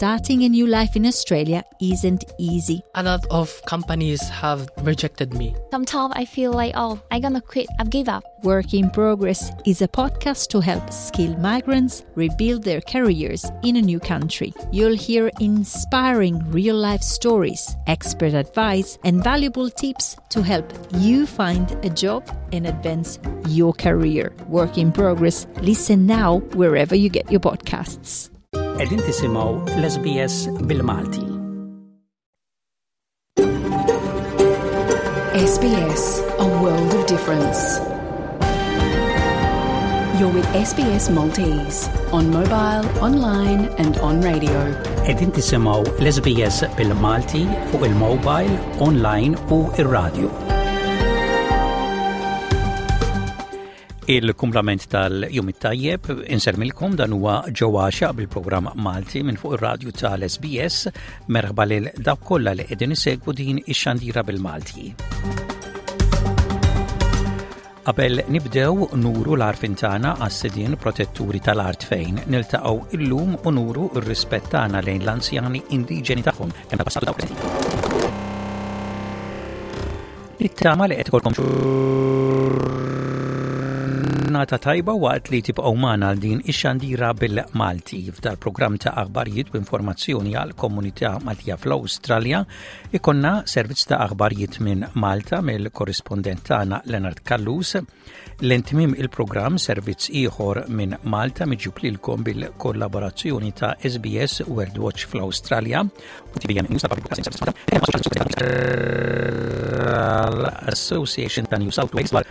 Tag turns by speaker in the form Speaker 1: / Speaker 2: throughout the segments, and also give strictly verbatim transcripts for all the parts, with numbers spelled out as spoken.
Speaker 1: Starting a new life in Australia isn't easy.
Speaker 2: A lot of companies have rejected me.
Speaker 3: Sometimes I feel like, oh, I'm gonna quit, I've give up.
Speaker 1: Work in Progress is a podcast to help skilled migrants rebuild their careers in a new country. You'll hear inspiring real life stories, expert advice, and valuable tips to help you find a job and advance your career. Work in Progress. Listen now wherever you get your podcasts.
Speaker 4: Qegħdin tisimgħu l-S B S bil-Malti.
Speaker 5: S B S, a world of difference. You're with S B S Maltese on mobile, online and on radio.
Speaker 4: Qegħdin tisimgħu l-S B S bil-Malti fuq il-mobile, online u ir-radio. Il-kumplament tal-jum it-tajjeb, insellmilkom, dan huwa ġewwaxa bil-programm Malti minn fuq ir-radju tal-S B S. Merħba lil dawk kollha li qegħdin isegwu din ix-xandira bil-Malti. Qabel nibdew, nuru l-għarfien tagħna għas-sidien protetturi tal-art fejn niltaqgħu illum u nuru r-rispett tagħna lejn l-anzjani indiġeni tagħhom kemm tal-passat dawk preżenti. Nittama li qed ikolkom ġurnata tajba waqt li tibqgħu magħna għal din ix-xandira bil-Malti. F'dal-programm ta' aħbarijiet u informazzjoni għal komunità Maltija fl-Awstralja ikollna servizz ta' aħbarijiet minn Malta mill-korrispondent tagħna Leonard Callus. Lejn tmiem il-programm, servizz ieħor minn Malta miġjub lilkom bil-kollaborazzjoni ta' S B S World Watch fl-Awstralja u T V M News Association ta' New South Wales dwar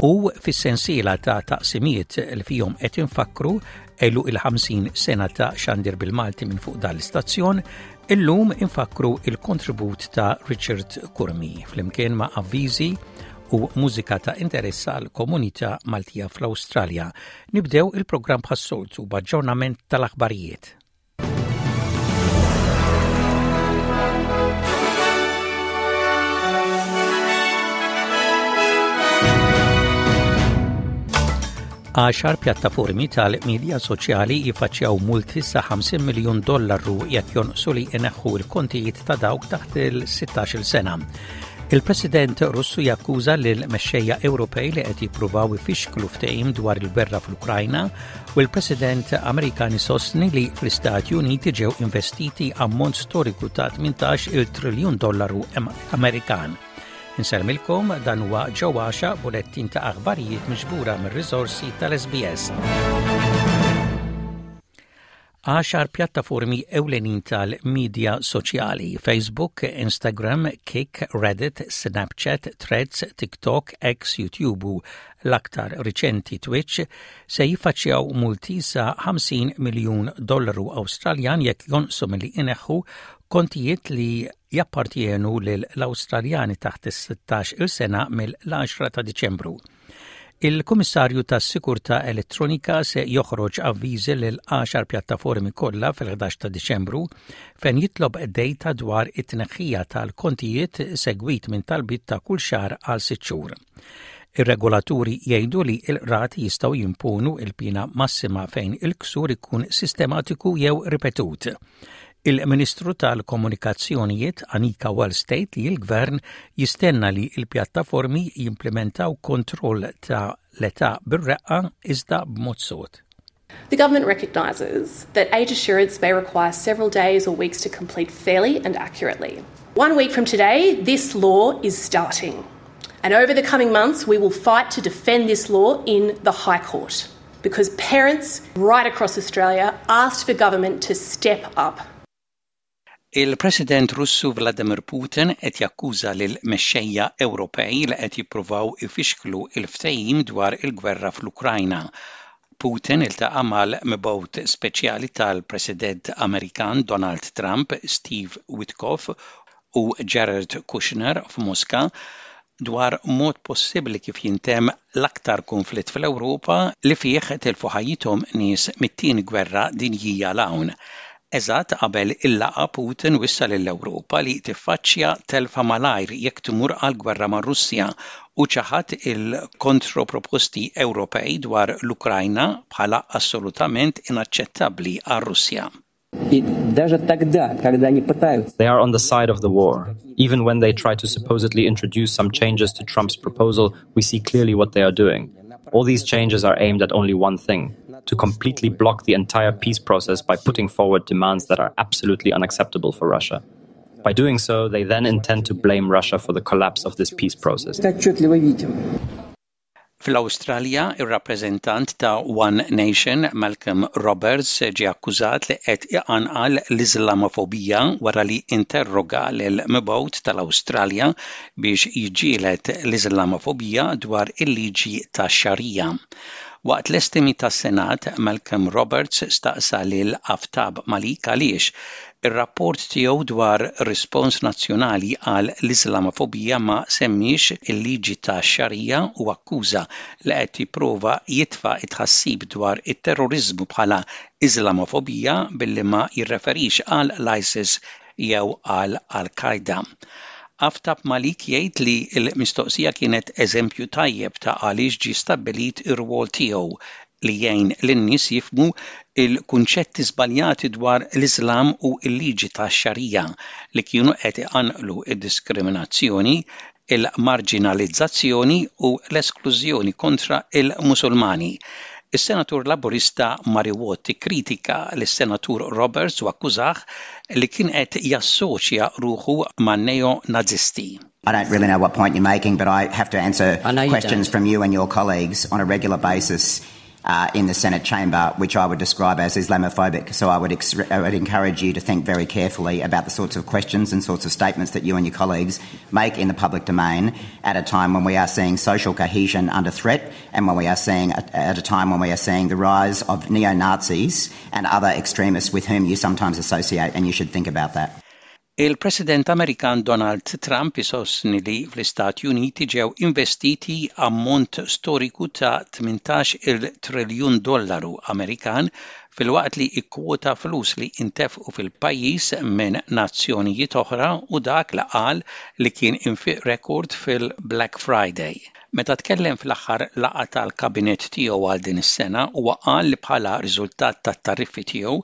Speaker 4: U fis-sensiela ta' taqsimiet li fihom qed infakkru għeluq il-ħamsin sena ta' xandir bil-Malti minn fuq dal-istazzjon, illum infakkru il-kontribut ta' Richard Curmi flimkien ma' avviżi u mużika ta' interess għal komunità Maltija fl-Awstralja. Nibdew il-programm bħas-soltu b'aġġornament tal-aħbarijiet. Għaxar pjattaformi tal-medja soċjali jiffaċċjaw multi sa ħamsin miljun dollaru jekk jonqsu li ineħħu l-kontijiet ta' dawk taħt il-sittax-il sena. Il-President Russu jakkuża lil mexxejja Ewropej li qed jippruvaw ifixklu ftehim dwar il-gwerra fl-Ukrajna u l-President Amerikan isostni li fl-Istati Uniti ġew investiti ammont storiku ta' tmintax il triljun dollaru Amerikan. Insellmilkom, dan huwa ġewwaxa, bulettin ta' aħbarijiet miġbura mir-riżorsi tal-S B S. Għaxar pjattaformi ewlenin tal-medja soċjali: Facebook, Instagram, Kik, Reddit, Snapchat, Threads, TikTok, X, YouTube u l-aktar riċenti Twitch se jiffaċċjaw multi sa ħamsin miljun dollaru Awstraljan jekk jonqsu milli ineħħu kontijiet li jappartienu lill-Awstraljani taħt is-sittax il sena mill-għaxra ta' Diċembru. Il-Kummissarju tas-Sikurtà Elettronika se joħroġ avviżi lil għaxar pjattaformi kollha fil-ħdax ta' Diċembru fejn jitlob data dwar it-tneħħija tal-kontijiet, segwit minn talbiet ta' kull xahar għal sitt xhur. Ir-regolaturi jgħidu li l-qrati jistgħu jimponu il-pina massima fejn il-ksur ikun sistematiku jew ripetut. Il-Ministru tal-Komunikazzjonijiet Anika Wells tgħid li l-Gvern jistenna li l-pjattaformi jimplementaw kontroll ta' l-età bir-reqqa iżda b'mod sod.
Speaker 6: The government recognises that age assurance may require several days or weeks to complete fairly and accurately. One week from today, this law is starting. And over the coming months, we will fight to defend this law in the High Court because parents right across Australia asked for government to step up.
Speaker 4: Il-President Russu Vladimir Putin qed jakkuża lil mexxejja Ewropej li qed jippruvaw ifixklu il-ftehim dwar il-gwerra fl-Ukrajna. Putin iltaqa' mal-mibgħut speċjali tal-President Amerikan Donald Trump, Steve Witkoff, u Jared Kushner f'Moska dwar mod possibbli kif jintemm l-aktar konflitt fl-Ewropa li fih tilfu ħajjithom nies mit-tieni gwerra dinjija 'l hawn. Eżatt qabel il-laqgħa Putin wissa lill-Ewropa li tiffaċċja telfa malajr jekk timur għal gwerra mar-Russja u ċaħad il-kontroproposti Ewropej dwar l-Ukrajna bħala assolutament inaċċettabbli għar-Russja.
Speaker 7: They are on the side of the war. Even when they try to supposedly introduce some changes to Trump's proposal, we see clearly what they are doing. All these changes are aimed at only one thing to completely block the entire peace process by putting forward demands that are absolutely unacceptable for Russia. By doing so, they then intend to blame Russia for the collapse of this peace process.
Speaker 4: Fl-Awstralja, ir-rappreżentant ta' One Nation, Malcolm Roberts, ġie akkużat li qed iqanqal l-Islamofobija wara li interroga lil mibgħut tal-Awstralja biex jiġġieled l-Islamofobija dwar il-liġi tax-Xarija. Waqt l-estimi tas-Senat, Malcolm Roberts staqsa lil Aftab Malik għaliex ir-rapport tiegħu dwar rispons nazzjonali għal l-Islamofobija ma semmiex il-liġi tax-Xarija u akkuża li qed jipprova jitfa' it-tħassib dwar it-terrorizmu bħala Islamofobija billi ma jirreferix għal l-ISIS jew għal Al-Qaeda. Aftab Malik jgħid li l-mistoqsija kienet eżempju tajjeb ta' għaliex ġi stabbilit ir-rwol tiegħu li jgħin lin-nies jifhmu il-kunċetti żbaljati dwar l-Islam u l-liġi tax-Xarija li kienu qed iqanqlu id-diskriminazzjoni, il-marginalizzazzjoni u l-esklużjoni kontra il-Musulmani. Is-senatur Laburista Murray Watt kritika lis-senatur Roberts u akkużah li kien qed jassoċja ruħu man neo-Nazisti.
Speaker 8: I don't really know what point you're making, but I have to answer
Speaker 9: I
Speaker 8: questions
Speaker 9: don't.
Speaker 8: from you and your colleagues on a regular basis uh, in the Senate chamber, which I would describe as Islamophobic. So I would, ex- I would encourage you to think very carefully about the sorts of questions and sorts of statements that you and your colleagues make in the public domain at a time when we are seeing social cohesion under threat and when we are seeing, at a time when we are seeing the rise of neo Nazis and other extremists with whom you sometimes associate, and you should think about that.
Speaker 4: Il-President Amerikan Donald Trump isostni li fl-Istati Uniti ġew investiti ammont storiku ta' tmintax il triljun dollaru Amerikan filwaqt li ikkwota flus li intefqu fil-pajjiż minn nazzjonijiet oħra u dak li qal li kien infiq rekord fil-Black Friday. Meta tkellem fl-aħħar laqgħa tal-kabinet tiegħu għal din is-sena, huwa qal li bħala riżultat tat-tariffi tiegħu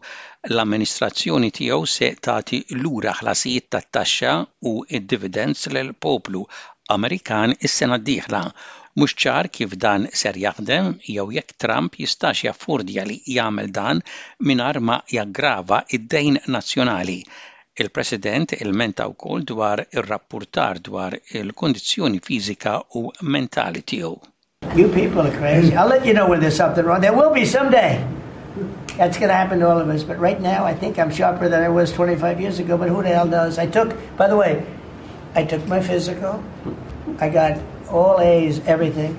Speaker 4: l-amministrazzjoni tiegħu se tagħti lura ħlasijiet tat-taxxa u id-dividends lill-poplu Amerikan is-sena d-dieħla. Mhux ċar kif dan ser jaħdem jew jekk Trump jistax jaffordja li jagħmel dan mingħajr ma jaggrava id-dejn nazzjonali. Il-President ilmenta wkoll dwar ir-rapportar dwar il-kondizzjoni fiżika u mentali tiegħu.
Speaker 10: You people are crazy. I'll let you know when there's something wrong. There will be someday. That's going to happen to all of us. But right now, I think I'm sharper than I was twenty-five years ago. But who the hell knows? I took, by the way, I took my physical. I got all A's, everything.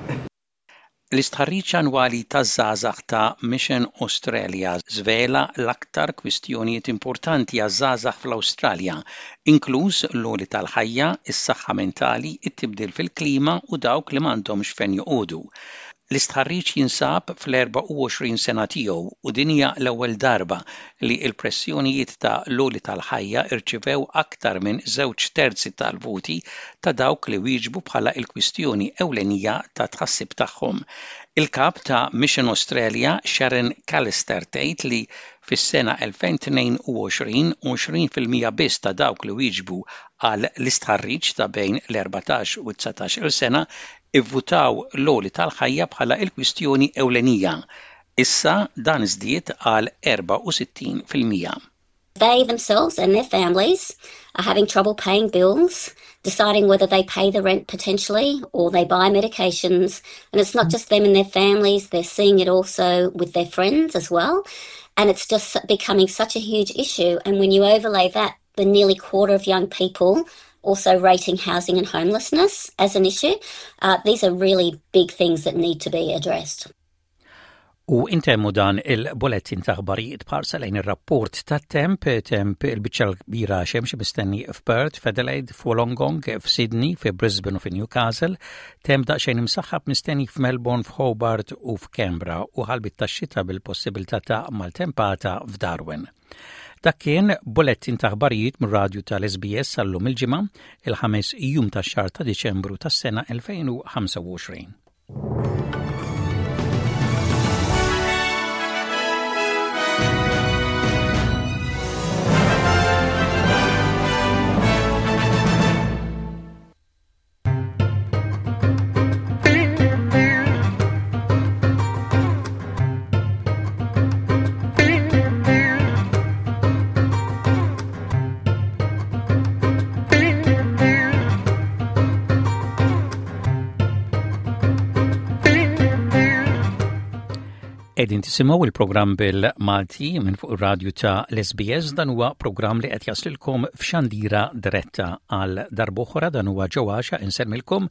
Speaker 4: L-istħarriġ annwali taż-żgħażagħ ta' Mission Australia żvela l-aktar kwistjonijiet importanti għaż-żgħażagħ fl-Awstralja, inkluż l-għoli tal-ħajja, is-saħħa mentali, it-tibdil fil-klima u dawk li m'għandhomx fejn joqogħdu. L-istħarriġ jinsab fl-erbgħa u għoxrin sena tiegħu u din hija l-ewwel darba li l-pressjonijiet ta' l-għoli tal-ħajja irċivew aktar minn żewġ terzi tal-voti ta' dawk li wieġbu bħala l-kwistjoni ewlenija ta' tħassib tagħhom. Il-kap ta' Mission Australia, Sharon Callister, tgħid li fis-sena elfejn u tnejn u għoxrin għoxrin fil-mija biss ta' dawk li wieġbu għal l-istħarriġ ta' bejn l-erbatax u dsatax-il sena ivvutaw l-għoli tal-ħajja bħala il-kwistjoni ewlenija. Issa dan żdied għal erbgħa u sittin fil-mija.
Speaker 11: They themselves and their families are having trouble paying bills, deciding whether they pay the rent potentially or they buy medications. And it's not just them and their families, they're seeing it also with their friends as well. And it's just becoming such a huge issue. And when you overlay that, the nearly quarter of young people also rating housing and homelessness as an issue, uh, these are really big things that need to be addressed.
Speaker 4: U intemmu dan il-bulletin ta' aħbarijiet b'ħarsa lejn ir-rapport tat-temp, temp il-biċċa kbira xemx mistenni f'Perth, f'Adelaide, f'Wollongong, f'Sydney, f'Brisbane u f'Newcastle, temp daqsxejn imsaħħab mistenni f'Melbourne, f'Hobart u f'Canberra u ħalbiet tax-xita bil-possibilità ta' maltempata f'Darwin. Dak kien bullettin ta' aħbarijiet mir-radju tal-S B S għal-lum il-Ġimgħa, il-ħames jum tax-xahar ta' Diċembru tas-sena elfejn u ħamsa u għoxrin. Qegħdin tisimgħu il-programm bil-Malti minn fuq ir-radju ta' l-S B S. Dan huwa programm li qed jaslilkom f'xandira diretta. Għal darb'oħra, dan huwa ġewwaxa insellmilkom,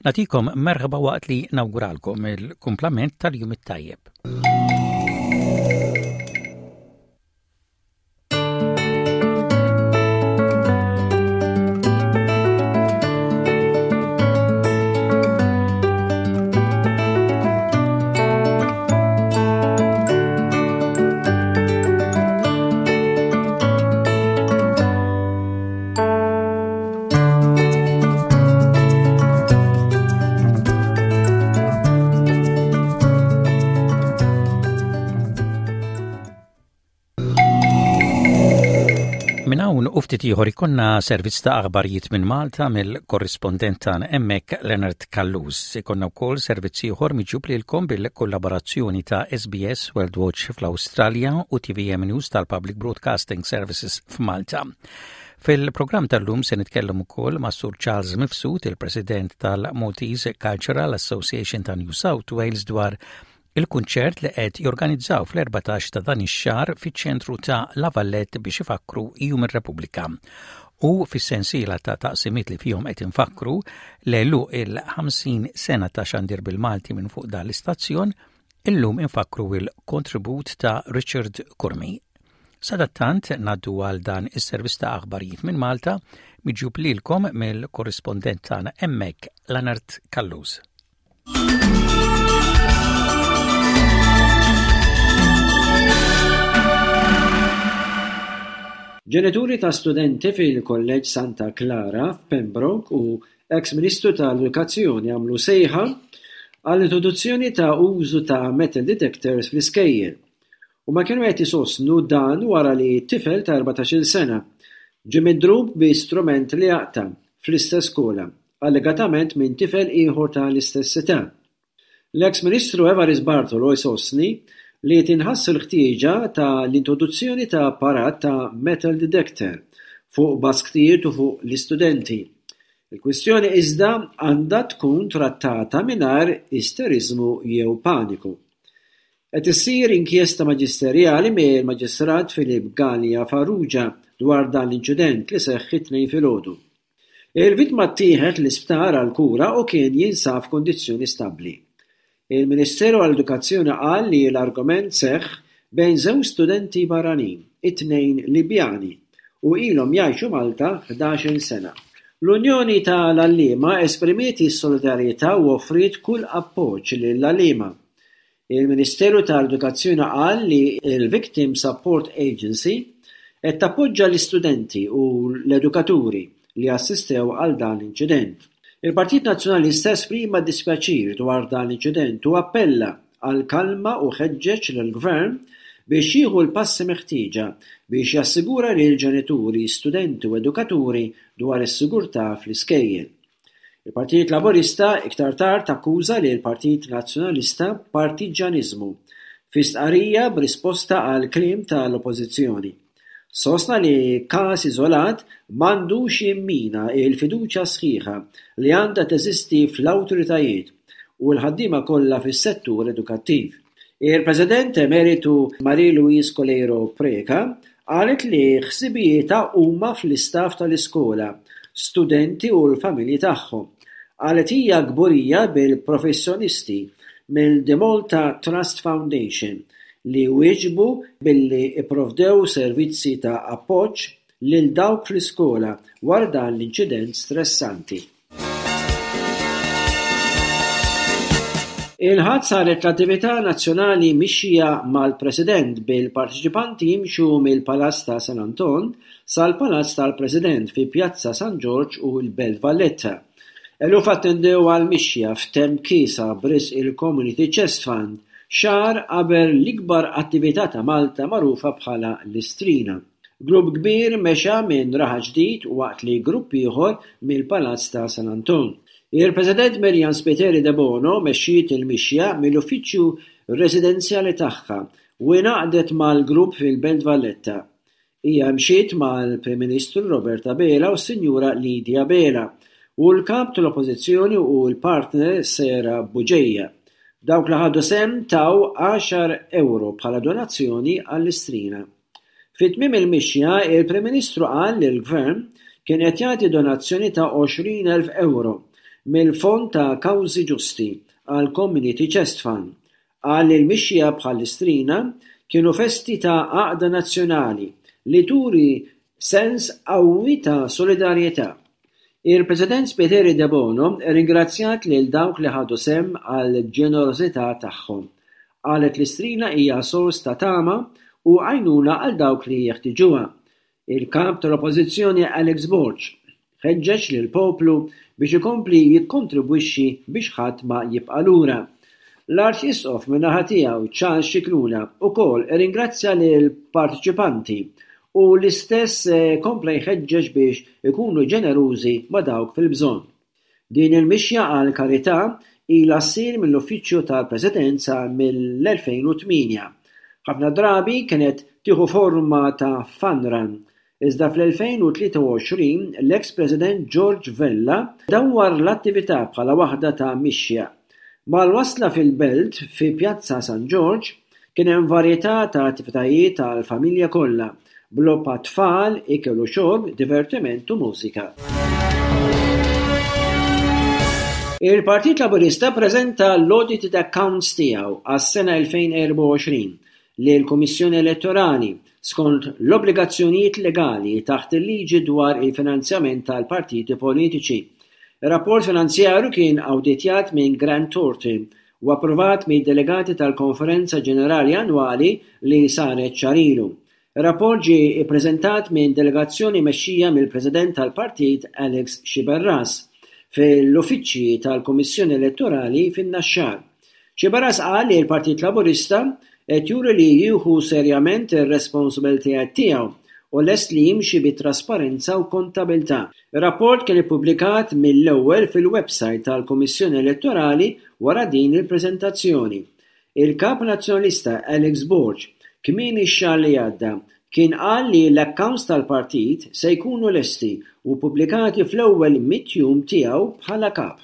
Speaker 4: nagħtikom merħba waqt li nawguralkom il-kumplament tal-jum it-tajjeb. Minn hawn u ftit ieħor ikollna servizz ta' aħbarijiet minn Malta mill-korrispondent tagħna hemmhekk, Leonard Callus. Ikollna wkoll servizz ieħor miġjub lilkom bil-kollaborazzjoni ta' S B S World Watch fl-Awstralja u T V M News tal-Public Broadcasting Services f'Malta. Fil-programm tal-lum se nitkellem ukoll ma' Sur Charles Mifsud, il-President tal-Maltese Cultural Association ta' New South Wales, dwar il-kunċert li qed jorganizzaw fl-erbatax ta' dan ix-xahar fiċ-ċentru ta' La Vallette biex ifakru Jum ir-Repubblika. U fis-sensiela ta' taqsimiet li fihom qed infakkru l il-ħamsin sena ta' xandir bil-Malti minn fuq dan l-istazzjon, illum infakru il-kontribut ta' Richard Curmi. Sadattant ngħaddu għal dan is-servizz ta' aħbarijiet minn Malta miġjub lilkom mill-korrispondent tagħna hemmhekk, Leonard Callus.
Speaker 9: Ġenituri ta' studenti fil-Kolleġġ Santa Clara f'Pembroke u ex-Ministru tal-Edukazzjoni għamlu sejħa għall-introduzzjoni ta' użu ta' metal detectors fl-iskejjel. U ma kienu qed isostnu dan wara li tifel ta' erbatax-il sena ġie midrub bi strument li jaqta' fl-istess skola, allegatament minn tifel ieħor tal-istess età. L-ex-Ministru Evarist Bartolo jsostni li tinħass il-ħtieġa ta' l-introduzzjoni ta' apparat ta' metal detector fuq basktijiet u fuq l-istudenti. Il-kwistjoni iżda għandha tkun trattata mingħajr isteriżmu jew paniku. Qed issir inkjesta maġisterjali mill-Maġistrat Philip Gallia Farrugia dwar dan l-inċident li seħħ it-Tnejn filgħodu. Il-vittma ttieħed l-isptar għal kura u kien jinsab f'kondizzjoni stabbli. Il-Ministeru għall-Edukazzjoni qal li l-argument seħħ bejn żewġ studenti barranin, it-tnejn Libjani, u ilhom jgħixu Malta ħdax-il sena. L-Unjoni tal-Għalliema esprimiet is-solidarjetà u offriet kull appoġġ lill-għalliema. Il-Ministeru tal-Edukazzjoni qal li il-Victim Support Agency qed tappoġġa l-istudenti u l-edukaturi li assistew għal dan l-inċident. Il-Partit Nazzjonalista esprima dispjaċir dwar dan l-inċident u appella għal kalma u ħeġġeġ lill-Gvern biex jieħu l-passi meħtieġa biex jassigura lil ġenituri, studenti u edukaturi dwar is-sigurtà fl-iskejjel. Il-Partit Laburista iktar tard akkuża lil Partit Nazzjonalista partiġġjaniżmu fi stqarrija b'risposta għal kliem tal-Oppożizzjoni. Sostna li każ iżolat m'għandux jimmina il-fiduċja sħiħa li għandha teżisti fl-awtoritajiet u l-ħaddiema kollha fis-settur edukattiv. Il-President Emeritu Marie Louise Coleiro Preca qalet li ħsibijietha huma fl-istaff tal-iskola, studenti u l-familji tagħhom. Qalet hija kburija bil-professjonisti mill-The Malta Trust Foundation li wieġbu billi ipprovdew servizzi ta' appoġġ lil dawk fl-iskola wara dan l-inċident stressanti. Il-Ħadd saret l-attività nazzjonali Mixja mal-President, bil-parteċipanti jimxu mill-Palazz ta' San Anton sal-Palazz tal-President fi Pjazza San Ġorġ u l-Belt Valletta. Eluf attendew għal-mixja f'temp kiesaħ b'risq il-Community Chest Fund, xahar qabel l-ikbar attività ta' Malta magħrufa bħala l-Istrina. Grupp kbir mexa minn Raħal Ġdid waqt li grupp ieħor mill-Palazz ta' San Anton. Il-President Myriam Spiteri Debono mexxiet il-mixja mill-uffiċċju residenzjali tagħha u ingħaqdet mal-grupp fil-Belt Valletta. Hija mxiet mal-Prim Ministru Robert Abela u s-Sinjura Lydia Abela u l-Kap tal-Oppożizzjoni u l-partner Sarah Bugeja. Dawk li ħadu sehem taw għaxar ewro bħala donazzjoni għall-Istrina. Fi tmiem il-mixja, il-Prim Ministru qal li l-Gvern kien qed jagħti donazzjoni ta' għoxrin elf ewro mill-Fond ta' Kawżi Ġusti għal Community Chest Fund. Qal li l-mixja bħall-Istrina kienu festi ta' għaqda nazzjonali li turi sens qawwi ta' solidarjetà. Il-President Spiteri Debono ringrazzjat lil dawk li ħadu sehem għal ġenerożità tagħhom. Qalet l-Istrina hija sors ta' tama u għajnuna għal dawk li jeħtiġuha. Il-Kap tal-Oppożizzjoni Alex Borg ħeġġeġ lill-poplu biex ikompli jikkontribwixxi biex ħadd ma jibqa' lura. L-Arċisqof min-naħa tiegħu Charles Scicluna wkoll irringrazzja lill-parteċipanti u l-istess kompla jħeġġeġ biex ikunu ġenerużi ma' dawk fil-bżonn. Din il-mixja għal karità ilha ssir mill-Uffiċċju tal-Presidenza mill-elfejn u tmienja. Ħafna drabi kienet tieħu forma ta' fun run. Iżda fl-elfejn u tlieta u għoxrin l-ex-President George Vella dawwar l-attività bħala waħda ta' mixja. Mal-wasla fil-belt fi Pjazza San Ġorġ kien hemm varjetà ta' attivitajiet tal-familja kollha, b'logħob għat-tfal, ikel u xorb, divertiment u mużika. Il-Partit Laburista preżenta l-audited accounts tiegħu għas-sena elfejn erba' u għoxrin lill-Kummissjoni Elettorali skont l-obbligazzjonijiet legali taħt il-liġi dwar il-finanzjament tal-partiti politiċi. Ir-rapport finanzjarju kien awditjat minn Grant Thornton u approvat mid-delegati tal-Konferenza Ġenerali Annwali li saret xahar ilu. Ir-rapport ġie ppreżentat minn delegazzjoni mexxija mill-President tal-Partit Alex Sciberras fil-uffiċċji tal-Kummissjoni Elettorali fin-Naxxar. Sciberras qal li l-Partit Laburista qed juri li jieħu serjament ir-responsabilitajiet tiegħu u lest li jimxi bi trasparenza u kontabilità. Ir-rapport kien ippubblikat mill-ewwel fil-website tal-Kummissjoni Elettorali wara din il-preżentazzjoni. Il-Kap Nazzjonalista Alex Borg kmieni x-xahar li għadda kien qal li l-accounts tal-partit se jkunu lesti u ppubblikati fl-ewwel mitt jum tiegħu bħala kap.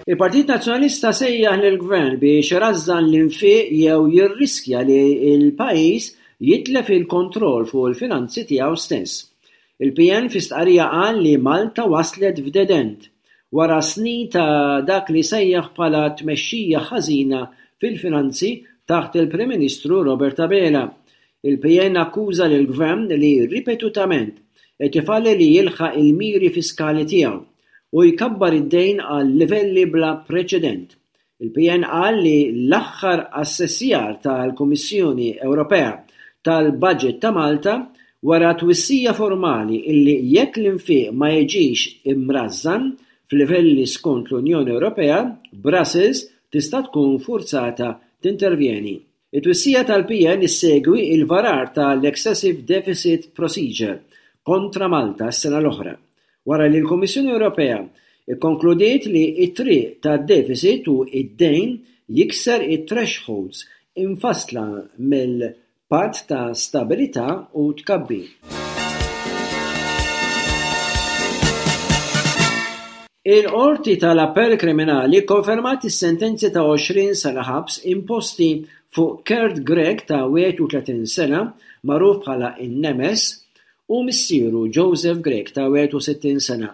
Speaker 9: Il-Partit Nazzjonalista sejjaħ lill-Gvern biex irażżan l-infiq jew jirriskja li l-pajjiż jitlef il-kontroll fuq il-finanzi tiegħu stess. Il-P N fi stqarrija qal li Malta waslet f'dead end wara snin ta' dak li sejjaħ bħala tmexxija ħażina fil-finanzi taħt il-Prim Ministru Robert Abela. Il-P N akkuża lill-Gvern li ripetutament qed ifalli li jilħaq il-miri fiskali tiegħu u jkabbar id-dejn għal livelli bla preċedent. Il-P N qal li l-aħħar assessjar tal-Kummissjoni Ewropea tal-Budget ta' Malta wara twissija formali illi jekk l-infiq ma jiġix imrażżan f'livelli skont l-Unjoni Ewropea, Brussels tista' tkun forzata tintervjeni. It-twissija tal-P N issegwi il-varar tal-Excessive Deficit Procedure kontra Malta s-sena l-oħra, wara li l-Kummissjoni Ewropea ikkonkludiet li t-triq tad-deficit u id-dejn jikser it-thresholds infassla mill-Patt ta' Stabilità u Tkabbir. Il-Qorti tal-Appell Kriminali kkonfermat is-sentenzi ta' għoxrin sena ħabs imposti fuq Kurt Grech ta' wieħed u tletin sena, magħruf bħala in-Nemes, u missieru Joseph Grech ta' wieħed u sittin sena.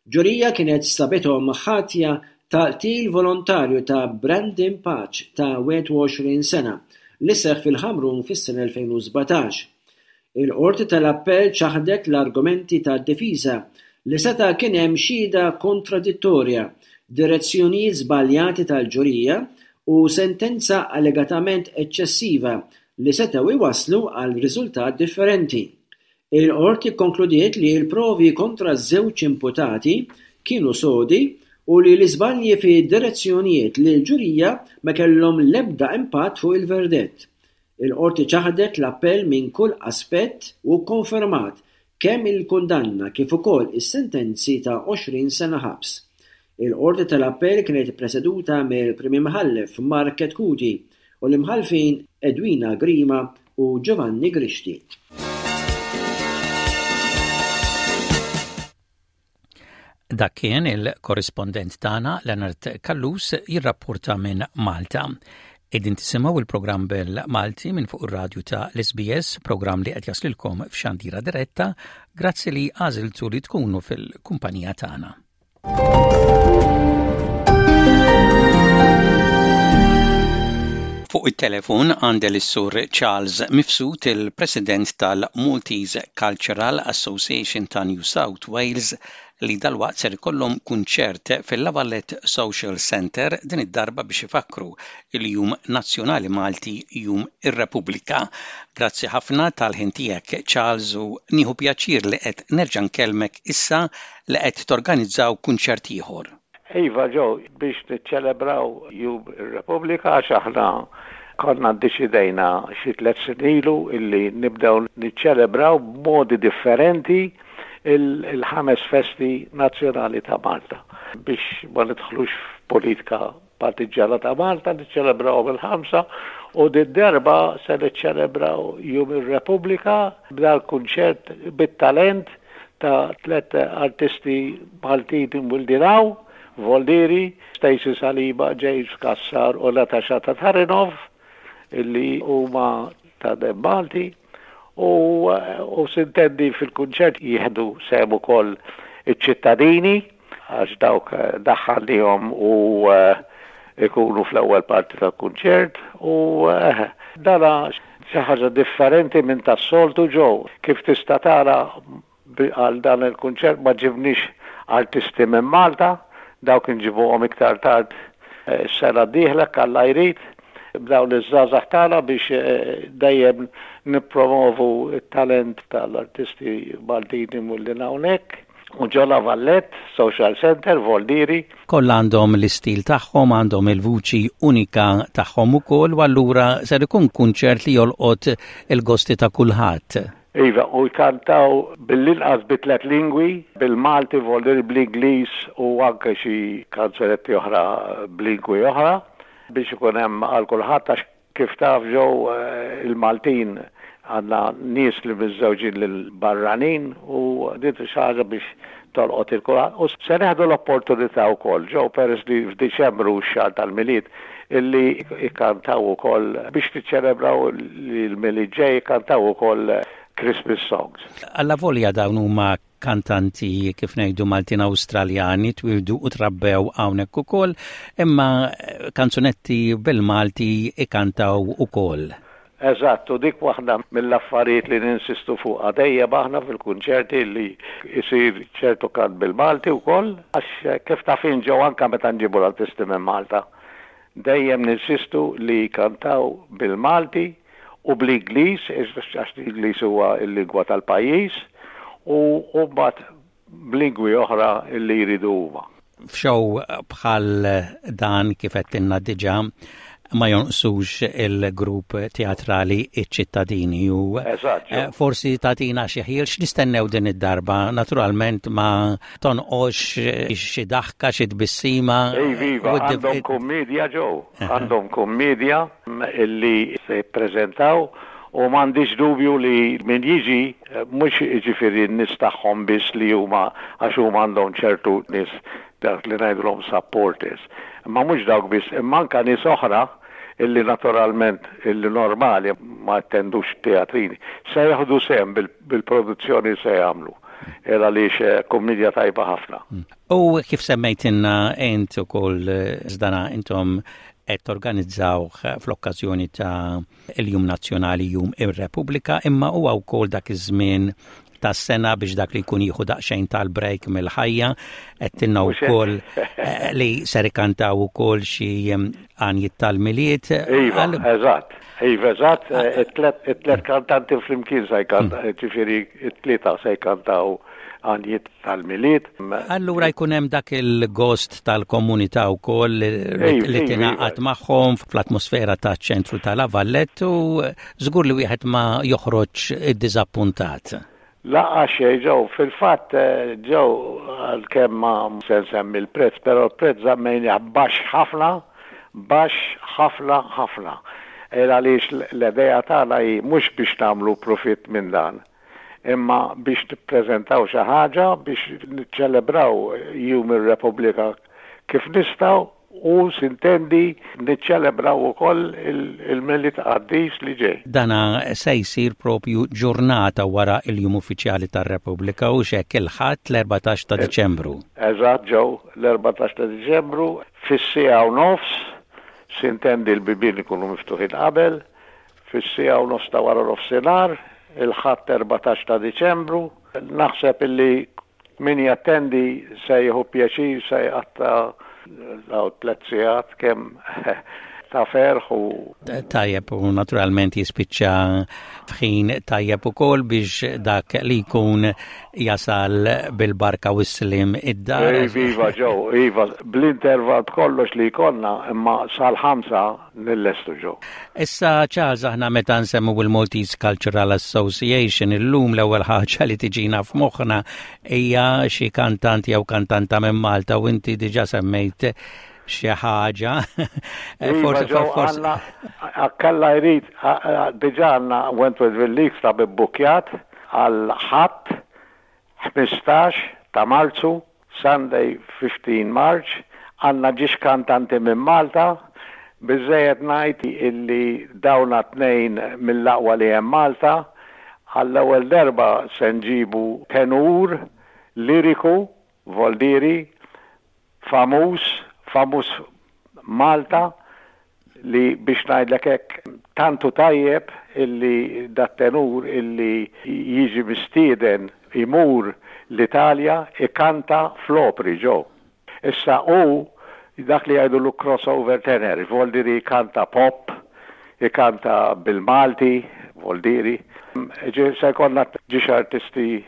Speaker 9: Ġurija kienet sabithom ħatja ta' qtil volontarju ta' Brandon Pace ta' wieħed u għoxrin sena li seħħ fil-Ħamrun fis-sena elfejn u sbatax. Il-Qorti tal-Appell ċaħdet l-argumenti tad-difiża li seta' kien hemm xhieda kontradittorja direzzjonijiet żbaljati tal-ġurija u sentenza allegatament eċċessiva li setgħu iwasslu għal riżultat differenti. Il-qorti kkonkludiet li l-provi kontra ż-żewġ imputati kienu sodi u li l-iżbalji fi direzzjonijiet lill-ġurija ma kellhom l-ebda impatt fuq il-verdett. Il-qorti ċaħdet l-appell minn kull aspett u kkonfermat kemm il-kundanna kif ukoll is-sentenzi ta' għoxrin sena ħabs. Il-qorti tal-appell kienet ippreseduta mill-Prim Imħallef Mark Chetcuti u l-imħallfin Edwina Grima u Giovanni Grixti.
Speaker 4: Dak kien il-korrispondent tagħna Leonard Callus jirrapporta minn Malta. Qegħdin tisimgħu il-programm bil-Malti minn fuq ir-radju ta' l-S B S, programm li qed jaslilkom f'xandira diretta, grazzi li għażiltu li tkunu fil-kumpanija tagħna. Fuq it-telefon għandi lis-Sur Charles Mifsud, il-President tal-Maltese Cultural Association ta' New South Wales, li dalwaqt ser ikollhom kunċert fil-La Valette Social Center, din id-darba biex ifakru il-Jum Nazzjonali Malti, Jum ir-Repubblika. Grazzi ħafna tal-ħin tiegħek, Charles, u nieħu pjaċir li qed nerġa' nkellmek issa li qed torganizzaw kunċert ieħor.
Speaker 12: Iva Joe, biex niċċelebraw Jum ir-Repubblika, għax aħna konna ddeċidejna xi tliet snin ilu illi nibdew niċċelebraw b'modi differenti il-ħames festi nazzjonali ta' Malta. Biex ma nidħlux f'politika partiġġjana ta' Malta, niċċelebraw il-ħamsa u din-darba se niċċelebraw Jum ir-Repubblika b'dal kunċert bit-talent ta' tliet artisti Maltin imwieldin hawn, Voldieri, Stacey Saliba, James Cassar u Natasha Tatarinov, illi huma ta' demm Malti, u, u s'intendi fil-kunċert jieħdu sehem ukoll iċ-ċittadini, għax dawk daħħalnihom u ikunu fl-ewwel parti tal-kunċert, u dana xi ħaġa differenti minn tas-soltu, Joe. Kif tista' tara, għal dan il-kunċert ma ġibniex artisti minn Malta, dawk inġibuhom iktar tard s-sena d-dieħla, Alla jrid, b'dawn iż-żgħażagħ tagħna biex dejjem nippromovu t-talent tal-artisti Maltin imwieldin hawnhekk. U ġo La Valette Social Center, Voldieri.
Speaker 4: Kollha għandhom l-istil tagħhom, għandhom il-vuċi unika tagħhom ukoll, u allura ser ikun kunċert li jolqot il-gosti ta' kulħadd.
Speaker 12: Iva, u jkantaw bil-inqas bi tliet lingwi, bil-Malti, Voldieri, bl-Ingliż u anke xi kanzunetti oħra b'lingwi oħra, biex ikun hemm għal kulħadd, għax kif taf Joe, il-Maltin għandna nies li miżżewġin lil barranin u din xi ħaġa biex tolqot lil kulħadd. U se neħdu l-opportunità wkoll, Joe, peress li f'Diċembru x-xahar tal-Milied, illi jkantaw ukoll biex niċċelebraw li l-Milied ġej, jkantaw ukoll Christmas songs.
Speaker 4: Allavolja dawn huma kantanti, kif ngħidu, Maltin Awstraljani, twildu u trabbew hawnhekk ukoll, imma kanzunetti bil-Malti ikantaw ukoll.
Speaker 12: Eżatt, u dik waħda mill-affarijiet li ninsistu fuq dejjem aħna fil-kunċerti, li jsir ċertu kant bil-Malti wkoll, għax kif taf int, Joe, anke meta nġibu l-artisti minn Malta, dejjem ninsistu li kantaw bil-Malti u bl-Ingliż, għax l-Ingliż huwa l-lingwa tal-pajjiż, u mbagħad b'lingwi oħra li jridu huma.
Speaker 4: F'xow bħal dan, kif għedtilna diġà, ma jonqsux il-grupp teatrali iċ-ċittadini u forsi tagħtina xi ħjiel x'nistennew din id-darba. Naturalment ma tonqosx xi daħka, xi tbissima.
Speaker 12: Iva, għandhom kummedja, Joe, għandhom kummedja illi se jippreżentaw u m'għandix dubju li min jiġi, mhux jiġifieri n-nies tagħhom biss li huma, għax huma għandhom ċertu nies, dak li ngħidulhom supporters. Ma mhux dawk biss, imma anke nies oħra illi naturalment illi normali ma attendux teatrini, se jieħdu sehem bil-produzzjoni se jagħmlu. Era li kummedja tajba ħafna.
Speaker 4: U kif semmejtilna int ukoll żdana, intom qed torganizzaw fl-okkażjoni ta' il-Jum Nazzjonali, Jum ir-Repubblika, imma huwa wkoll dak iż-żmien tas-sena biex dak li jkun jieħu daqsxejn tal-break mill-ħajja. Għedtilna wkoll eh, li ser ikantaw ukoll xi għanjiet tal-Milied.
Speaker 12: Iva, eżatt. Iva, eżatt, eh, it-tlet kantanti flimkien se jkantaw, mm. ġifieri it-tlieta se jkantaw għanjiet tal-Milied.
Speaker 4: Allura jkun hemm dak il-gost tal-komunità wkoll li tingħaqad magħhom fl-atmosfera taċ-ċentru ta' La Vallette u żgur li wieħed ma joħroġ iddiżappuntat.
Speaker 12: Lanqas xejn Joe, fil-fatt eh, Joe għalkemm ma se nsemmi l-prezz, però l-prezz żammejnieh baxx ħafna, baxx ħafna ħafna. Għaliex l-idea tagħna hi mhux biex nagħmlu profitt minn dan, imma biex nippreżentaw xi ħaġa biex niċċelebraw Jum ir-Repubblika kif nistgħu u sintendi niċċelebraw ukoll il-Milied qaddis li ġej.
Speaker 4: Dana se jsir propju ġurnata wara il-jum uffiċjali tar-Repubblika u hekk il-Ħadd l-erbatax ta' Diċembru.
Speaker 12: Eżatt Joe, l-erbatax ta' Diċembru fis-siegħa u nofs, sintendi l-bibien ikunu miftuħin qabel, fis-siegħa u nofs ta' wara nofsinhar, il-Ħadd erbatax ta' Diċembru. Naħseb illi min jattendi se jieħu pjaċir, se jqatta' daw tliet sigħat kemm ta' ferħ u
Speaker 4: Tajjeb u naturalment jispiċċa f'ħin tajjeb ukoll biex dak li jkun jasal bil-barka u s-slim id-dar.
Speaker 12: Iva Joe, iva, bl-interval b'kollox li jkollna imma sal-ħamsa nillestu Joe.
Speaker 4: Issa Charles, aħna meta nsemmu il-Maltese Cultural Association illum l-ewwel ħaġa li tiġina f'moħħna hija xi kantant jew kantanta minn Malta u inti diġà semmejt xi ħaġa.
Speaker 12: Forsi forsi Alla jrid diġà għandna Wentworthville League ta' bbukkjat għal Ħadd ħmistax ta' Marzu, Sunday fifteen March, għandna ġiex kantanti minn Malta, biżejjed ngħid illi dawna tnejn mill-aqwa li hemm Malta, għall-ewwel darba se nġibu tenur liriku, voldiri, famuż, famuż Malta, li biex ngħidlek hekk tantu tajjeb illi dat-tenur illi jiġi mistieden imur l-Italja ikanta fl-opri Joe. Issa u dak li jgħidu l crossover tenor, voldiri ikanta pop, ikanta bil-Malti, voldiri. Se jkollna ġiex artisti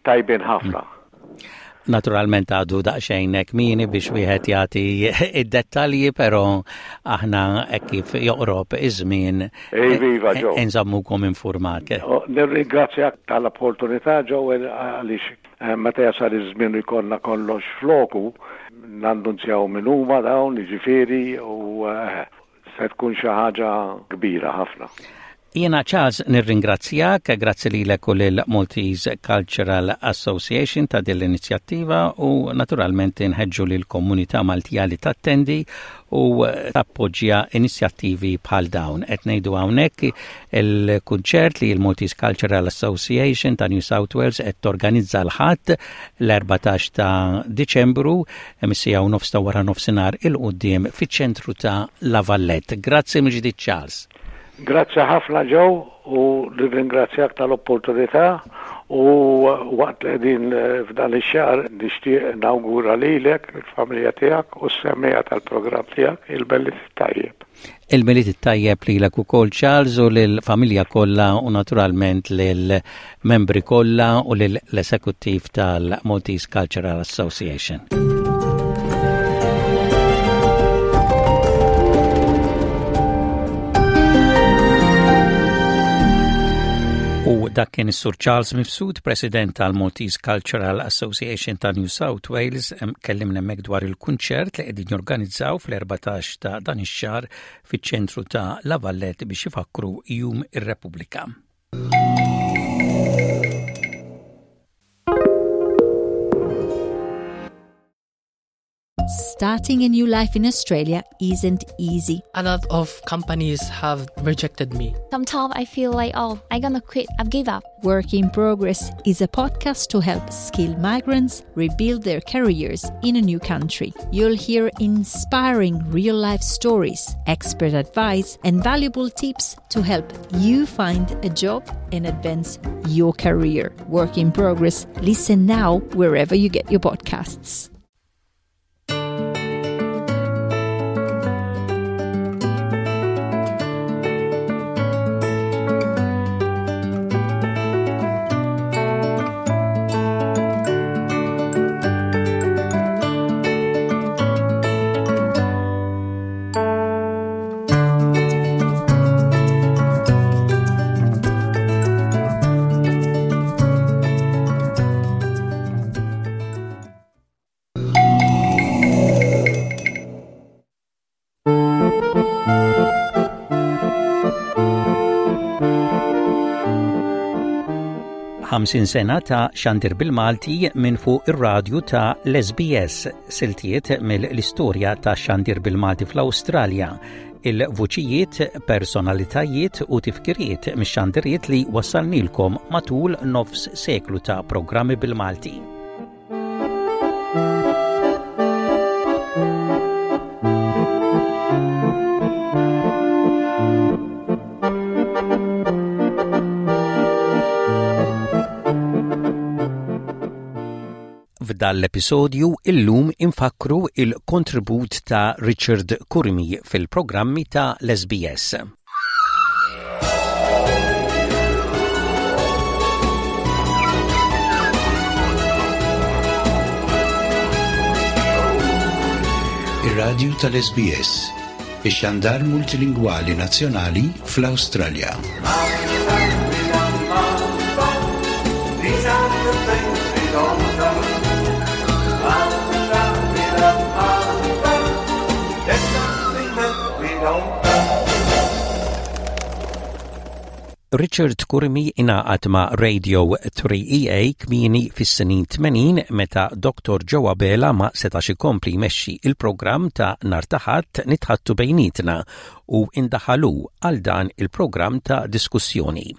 Speaker 12: tajbin ħafna.
Speaker 4: Naturalment għadu daqsxejn kmieni biex wieħed jagħti id-dettalji, però aħna hekk kif joqrob iż-żmien
Speaker 12: Iva, Joe.
Speaker 4: nżammukom informat.
Speaker 12: Nirringrazzjak tal-opportunità Joe għaliex eh, meta jasal iż-żmien u jkollna kollox floku, nannunzjaw min huma dawn, jiġifieri u eh, se tkun xi ħaġa kbira ħafna.
Speaker 4: Jiena Charles nirringrazzjak, grazzi lilek u lil Maltese Cultural Association ta' din l-inizjattiva u naturalment nħeġġu lil komunità Maltija li tattendi u tappoġġja inizjattivi bħal dawn. Qed ngħidu hawnhekk il-kunċert li l-Maltese Cultural Association ta' New South Wales qed torganizza l-Ħadd l-erbatax ta' Diċembru mis-siegħa u nofs ta' wara nofsinhar 'il quddiem fiċ-ċentru ta' La Vallette. Grazzi mill-ġdid Charles.
Speaker 12: Grazzi ħafna Joe u nirringrazzjak tal-opportunità u waqt li qegħdin f'dan ix-xahar nixtieq nawgura lilek, il-familja tiegħek u s-semmiegħa tal-programm tiegħek il-Milied tajjeb.
Speaker 4: Il-Milied it-tajjeb lilek ukoll Charles u lill-familja kollha u naturalment lill-membri kollha u lill-esekuttiv tal-Maltese Cultural Association. U dak kien is-Sur Charles Mifsud, President tal-Maltese Cultural Association ta' New South Wales, kellimna hemmhekk dwar il-kunċert li qegħdin jorganizzaw fl-erbatax ta' dan ix-xahar fiċ-ċentru ta' La Vallette biex ifakru Jum ir-Repubblika.
Speaker 1: Starting a new life in Australia isn't easy.
Speaker 2: A lot of companies have rejected me.
Speaker 3: Sometimes I feel like, oh, I'm gonna quit, I've give up.
Speaker 1: Work in Progress is a podcast to help skilled migrants rebuild their careers in a new country. You'll hear inspiring real life stories, expert advice, and valuable tips to help you find a job and advance your career. Work in Progress. Listen now wherever you get your podcasts.
Speaker 4: Ħamsin sena ta' xandir bil-Malti minn fuq ir-radju ta' l-S B S, siltiet mill-istorja ta' xandir bil-Malti fl-Awstralja, il-vuċijiet, personalitajiet u tifkiriet mix-xandiriet li wassalnilkom matul nofs seklu ta' programmi bil-Malti. F'dan l-episodju illum infakru il-kontribut ta' Richard Curmi fil-programmi ta' l-S B S.
Speaker 13: Ir-radju tal-S B S, ix-xandar multilingwali nazzjonali fl-Awstralja.
Speaker 4: Richard Curmi ingħaqad ma' Radio three E A kmieni fis-snin tmenin meta Doctor Joe Abela ma setax ikompli jmexxi il-programm ta' nhar ta' Ħadd Nitħaddtu Bejnietna u indaħalu għal dan il-programm ta' diskussjoni.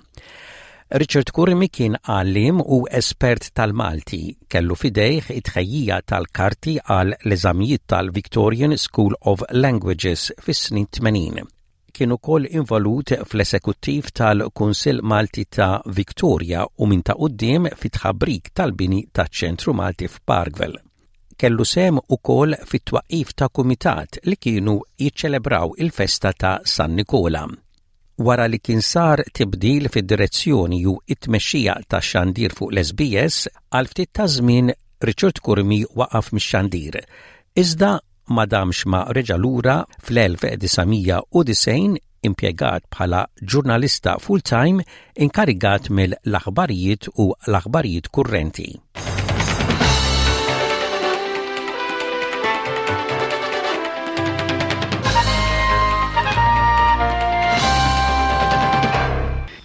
Speaker 4: Richard Curmi kien għallim u espert tal-Malti, kellu f'idejh it-tħejjija tal-karti għal l-eżamijiet tal-Victorian School of Languages fis-snin tmenin. Kien ukoll involut fl-esekuttiv tal-Kunsill Malti ta' Victoria u minn ta' quddiem fit-tħabrik tal-bini taċ-Ċentru Malti f'Parkville. Kellu sehem ukoll fit-twaqif ta' kumitat li kienu jiċċelebraw il-festa ta' San Nikola. Wara li kien sar tibdil fid-direzzjoni u it-tmexxija ta' xandir fuq l-S B S, għal ftit ta' żmien Richard Curmi waqaf mix-xandir. Iżda ma damx ma reġa' lura fl-elf disa' mija u disgħin impjegat bħala ġurnalista full-time inkarigat mill-aħbarijiet u l-aħbarijiet kurrenti.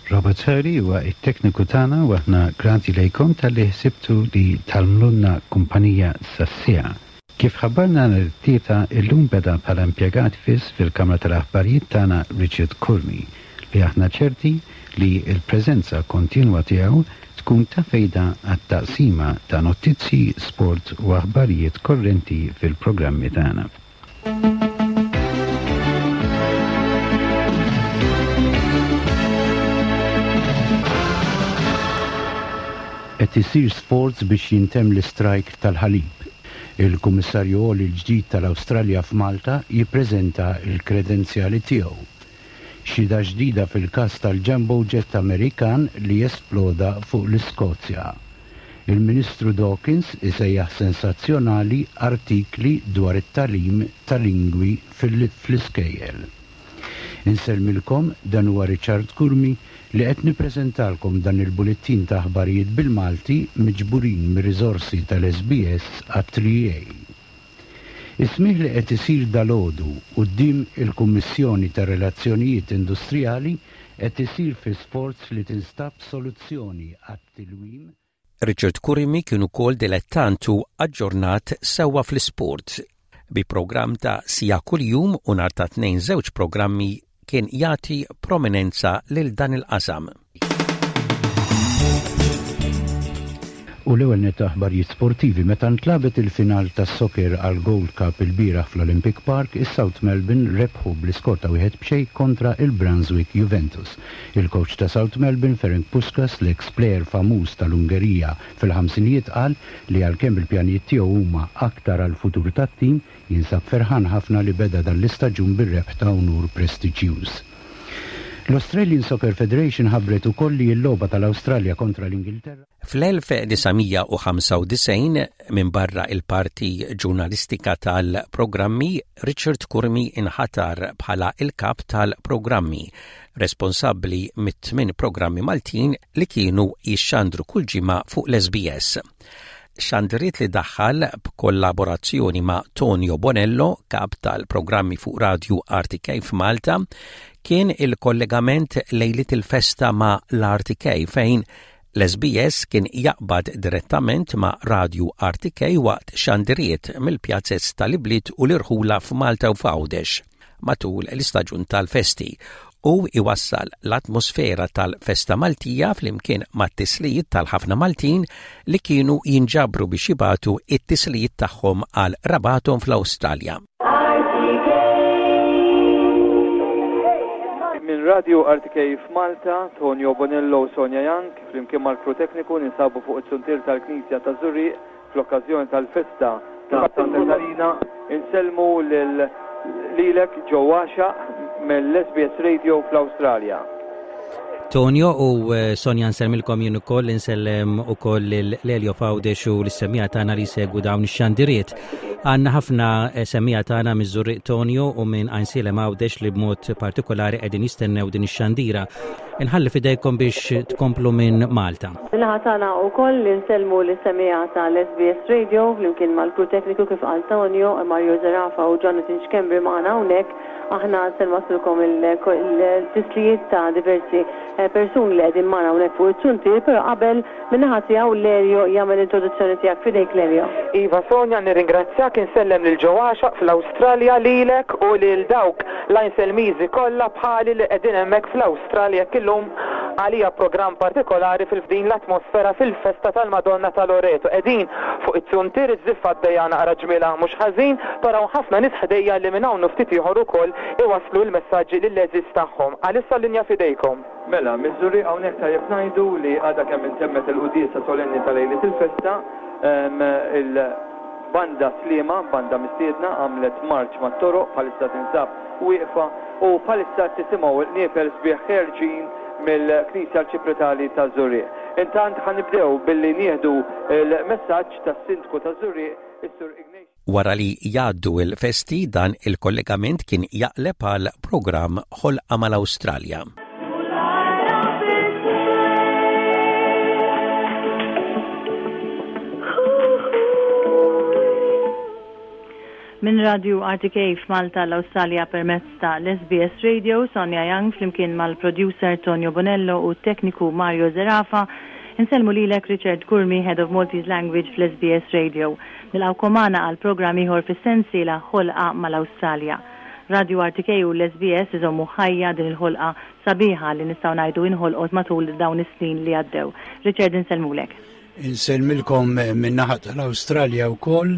Speaker 13: Robert Hurley huwa it-tekniku tagħna u aħna grati lejkom talli ħsibtu li tagħmlulna kumpanija sas-siegħa. Kif ħabbarna l-tlieta, illum beda bħala impjegat fiss fil-Kamra tal-Aħbarijiet tagħna Richard Curmi, li aħna ċerti li l-preżenza kontinwa tiegħu tkun ta' fejda għat-taqsima ta' notizzi, sport u aħbarijiet korrenti fil-programmi tagħna. Qed isir sforz biex jintemm l-istrajk tal-ħalib. Il-Kummissarju Għoli l-ġdid tal-Awstralja f'Malta jippreżenta l-kredenzjali tiegħu. Xhieda ġdida fil-każ tal-Jumbo Jet Amerikan li esploda fuq l-Iskozja. Il-Ministru Dawkins isejjaħ sensazzjonali artikli dwar it-tagħlim tal-lingwi fl-iskejjel. Insellmilkom, dan huwa Richard Curmi li qed nippreżentalkom dan il-bulettin ta' aħbarijiet bil-Malti miġburin mir-riżorsi tal-S B S għat-three A. Is-smigħ li qed isir dalgħodu quddiem il-Kummissjoni ta' Relazzjonijiet Industrijali qed isir fi sforz li tinstab soluzzjoni għat-tilwim.
Speaker 4: Richard Curmi kien ukoll dilettant u aġġornat sewwa fl-isport. Bi programm ta' siegħa kuljum u nhar ta' tnejn żewġ programmi kien jagħti prominenza lil dan il-qasam.
Speaker 13: U l-ewwel nett aħbarijiet sportivi meta ntlagħbet il-final tas-soccer għal Gold Cup ilbieraħ fl-Olympic Park, is-South Melbourne rebħu bl-iskor ta' wieħed b'xejn kontra il-Brunswick Juventus. Il-coach ta' South Melbourne, Ferenc Puskas, l-ex player famuż tal-Ungerija fil-ħamsinijiet qal li għalkemm il-pjanijiet tiegħu huma aktar għal-futur tat-tim, jinsab ferħan ħafna li beda dan l-istaġun bir-rebħ ta' unur prestiġjuż. L-Australian Soccer Federation ħabbret ukoll li l-logħba tal-Awstralja kontra l-Ingilterra
Speaker 4: Fl-elf disa' mija u ħamsa u disgħin, minbarra il-parti ġurnalistika tal-programmi, Richard Curmi inħatar bħala il-kap tal-programmi, responsabbli mit-tmien programmi Maltin li kienu jixxandru kull ġimgħa fuq l-S B S. Xandiriet li daħħal b'kollaborazzjoni ma' Tonio Bonello, kap tal-programmi fuq Radio R T K f'Malta, kien il-kollegament lejlit il-festa ma' l-R T K fejn l-S B S kien jaqbad direttament ma' Radio R T K waqt xandiriet mill-pjazzez tal-ibliet u l-irħula f'Malta u f'Għawdex matul l-istaġun tal-festi u iwassal l-atmosfera tal-festa Maltija flimkien mat-tislijiet tal-ħafna Maltin li kienu jinġabru biex jibagħtu it-tislijiet tagħhom għal qrabathom fl-Awstralja.
Speaker 14: Minn Radio R T K f'Malta, Tonio Bonello u Sonja Young, flimkien mal-kru tekniku ninsabu fuq it-suntier tal-Knisja ta' Żurrieq fl-okkażjoni tal-festa ta' Santa Katarina. Insellmu lil lilek Joe Axiaq mill-S B S Radio fl-Awstralja.
Speaker 4: Tonio u, eh, Sonja, nsellmilkom jien ukoll, insellem ukoll lil Elio f'Għawdex u lis-semmiegħa tagħna li segwu dawn ix-xandiriet. Għandna ħafna, eh, semmiegħa tagħna miż-Żurrieq Tonio u minn Għajnsielem Għawdex li b'mod partikolari qegħdin jistennew din ix-xandira. Inħalli fidejkom biex tkomplu minn Malta.
Speaker 15: Min-naħa tagħna wkoll li nsellmu lis-semmiegħa tal-S B S Radio flimkien mal-kru tekniku kif qal Tonio, Mario Zerafa u Jonathan Schembri magħna hawnhekk. Aħna se nwasslulkom il-tislijiet ta' diversi, eh, persuni li qegħdin magħna hawnhekk fuq it-suntier, però qabel min-naħa tiegħu Lelio jagħmel introduzzjoni tiegħek. Fidejk, Lelio.
Speaker 16: Iva Sonja, nirringrazzjak, insellem lil Joe Axiaq fl-Awstralja, lilek u lil dawk l-Għajnselmiżi kollha bħali li qegħdin hemmhekk fl-Awstralja. Illum għalija programm partikolari fil-fdin l-atmosfera fil-festa tal-Madonna ta' Loreto. Qegħdin fuq it-suntier, iż-żiffa għaddejja naqra ġmiela mhux ħażin, però ħafna nies ħdejja li minn hawn ftit ieħor ukoll iwasslu l-messaġġi lill-għeżież tagħhom. Għalissa l-linja fidejkom.
Speaker 14: Mela, miż-Żurrieq hawnhekk tajjeb ngħidu li għadha kemm intemmet il-quddiesa solenni ta' lejliet il-festa, ehm, il-banda Sliema, banda mistiedna, għamlet marċ mat-toroq, bħalissa tinsab wieqfa u bħalissa tisimgħu l-qnieper sbieħ ħerġin mill-Knisja Arċipretali ta' Żurrieq. Intant ħa nibdew billi nieħdu l-messaġġ tas-Sindku ta' Żurrieq, is-Sur Ignatius.
Speaker 4: Wara li jgħaddu il-festi dan il-kollegament kien jaqleb għal programm Ħolqa mal-Awstralja.
Speaker 15: Min Radio R T K f'Malta l-Awstralja permezz ta' l-S B S Radio, Sonja Young flimkien mal-producer Tonio Bonello u tekniku Mario Zerafa. Insellmu lilek Richard Curmi, Head of Maltese Language fl-S B S Radio. Nilqgħukom magħna għal programm ieħor fis-sensiela Ħolqa mal-Awstralja. Radio R T K u l-S B S iżommu ħajja din il-ħolqa sabiħa li nistgħu ngħidu inħolqot matul dawn is-snin li għaddew. Richard, insellmulek.
Speaker 13: Insellmilkom min-naħa tal-Awstralja wkoll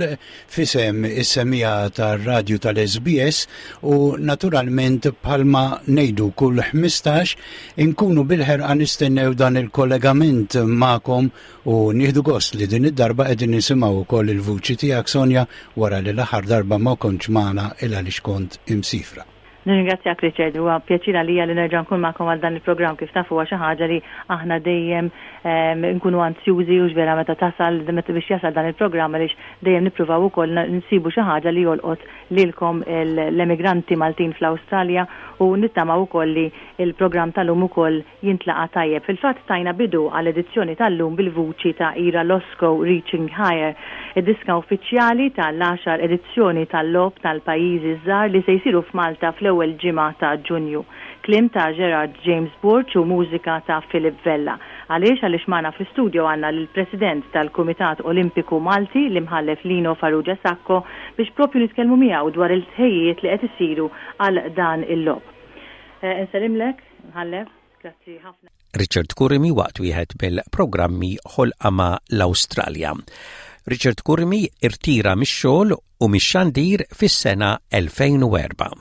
Speaker 13: f'isem is-semmiegħa tar-radju tal-S B S u naturalment bħalma ngħidu kull ħmistax inkunu bil-ħerqa nistennew dan il-kollegament magħkom u nieħdu gost li din id-darba qegħdin nisimgħu wkoll il-vuċi tiegħek, Sonja, wara li l-aħħar darba ma kontx magħna il għaliex kont imsifra.
Speaker 15: Nirringrazzjak Richard, huwa pjaċir għalija li nerġa' nkun magħkom għal dan il-programm. Kif tafu huwa xi ħaġa li aħna dejjem, ehm, nkunu anzjużi u vera meta tasal meta biex jasal dan il-programm, għaliex dejjem nippruvaw ukoll nsibu xi ħaġa li jolqot lilkom l-emigranti Maltin fl-Awstralja u nittamaw ukoll li il-programm tal-lum ukoll jintlaqa tajjeb. Fil-fatt tajna bidu għall-edizzjoni tal-lum bil-vuċi ta' Ira Losco, Reaching Higher, id-diska uffiċjali tal-għaxar edizzjoni tal-Logħob tal-Pajjiżi Żgħar li se jsiru f'Malta fl-ewwel ġimgħa ta' Ġunju. Kliem ta' Gerard James Borg u mużika ta' Philip Vella. Għaliex għaliex magħna fl-istudio għandna l-President tal-Kumitat Olimpiku Malti, l-Imħallef Lino Farrugia Sacco, biex propju nitkellmu miegħu dwar il-tħejjiet li qed isiru għal dan il-logħob. Eh, Insellimlek, Mħallef, grazzi ħafna.
Speaker 4: Richard Curmi waqt wieħed mill-programmi Ħolqa ma' l-Awstralja. Richard Curmi irtira mix-xogħol u mix-xandir fis-sena elfejn u erbgħa.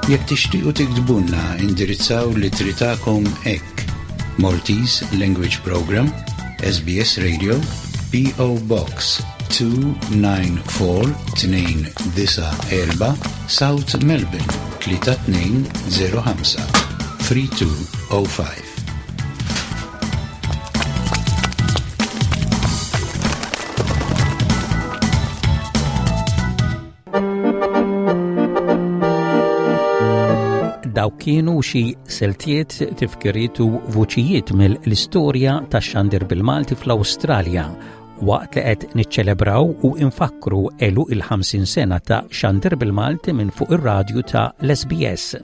Speaker 13: Jekk tixtiequ tiktbulna, indirizzaw l-ittri tagħkom hekk: Maltese Language Program, S B S Radio, P O. Box tnejn tnejn erba' tnejn disa' erba', South Melbourne tlieta tnejn żero ħamsa tlieta tnejn żero ħamsa.
Speaker 4: Dawk kienu xi siltiet, tifkiriet u vuċijiet mill-istorja tax-xandir bil-Malti fl-Awstralja waqt li qed niċċelebraw u infakru għeluq il-ħamsin sena ta' xandir bil-Malti minn fuq ir-radju ta' l-S B S.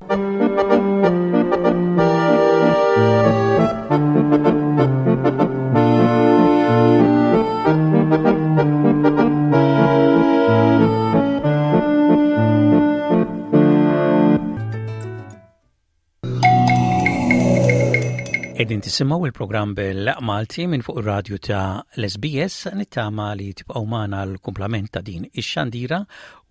Speaker 4: Qegħdin tisimgħu il-programm bil-Malti minn fuq ir-radju ta' l-S B S. Nittama li tibqgħu magħna l-kumplament ta' din ix-xandira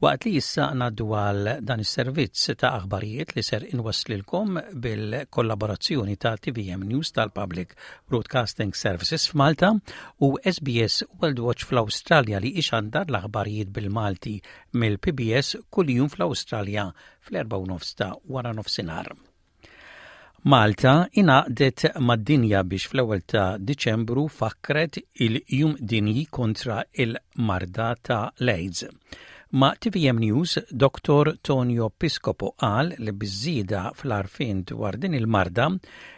Speaker 4: waqt li issa ngħaddu għal dan is-servizz ta' aħbarijiet li ser inwasslilkom bil-kollaborazzjoni ta' T V M News tal-Public Broadcasting Services f'Malta u S B S World Watch fl-Awstralja, li ixandar l-aħbarijiet bil-Malti mill-P B S kuljum fl-Awstralja fl-erba' u nofs ta' wara nofsinhar. Malta ingħaqdet mad-dinja biex fl-ewwel ta' Diċembru fakret il-Jum Dinji kontra il-marda ta' l-AIDS. Ma' T V M News, Doktor Tonio Piscopo qal li biż-żieda fl-għarfien dwar din il-marda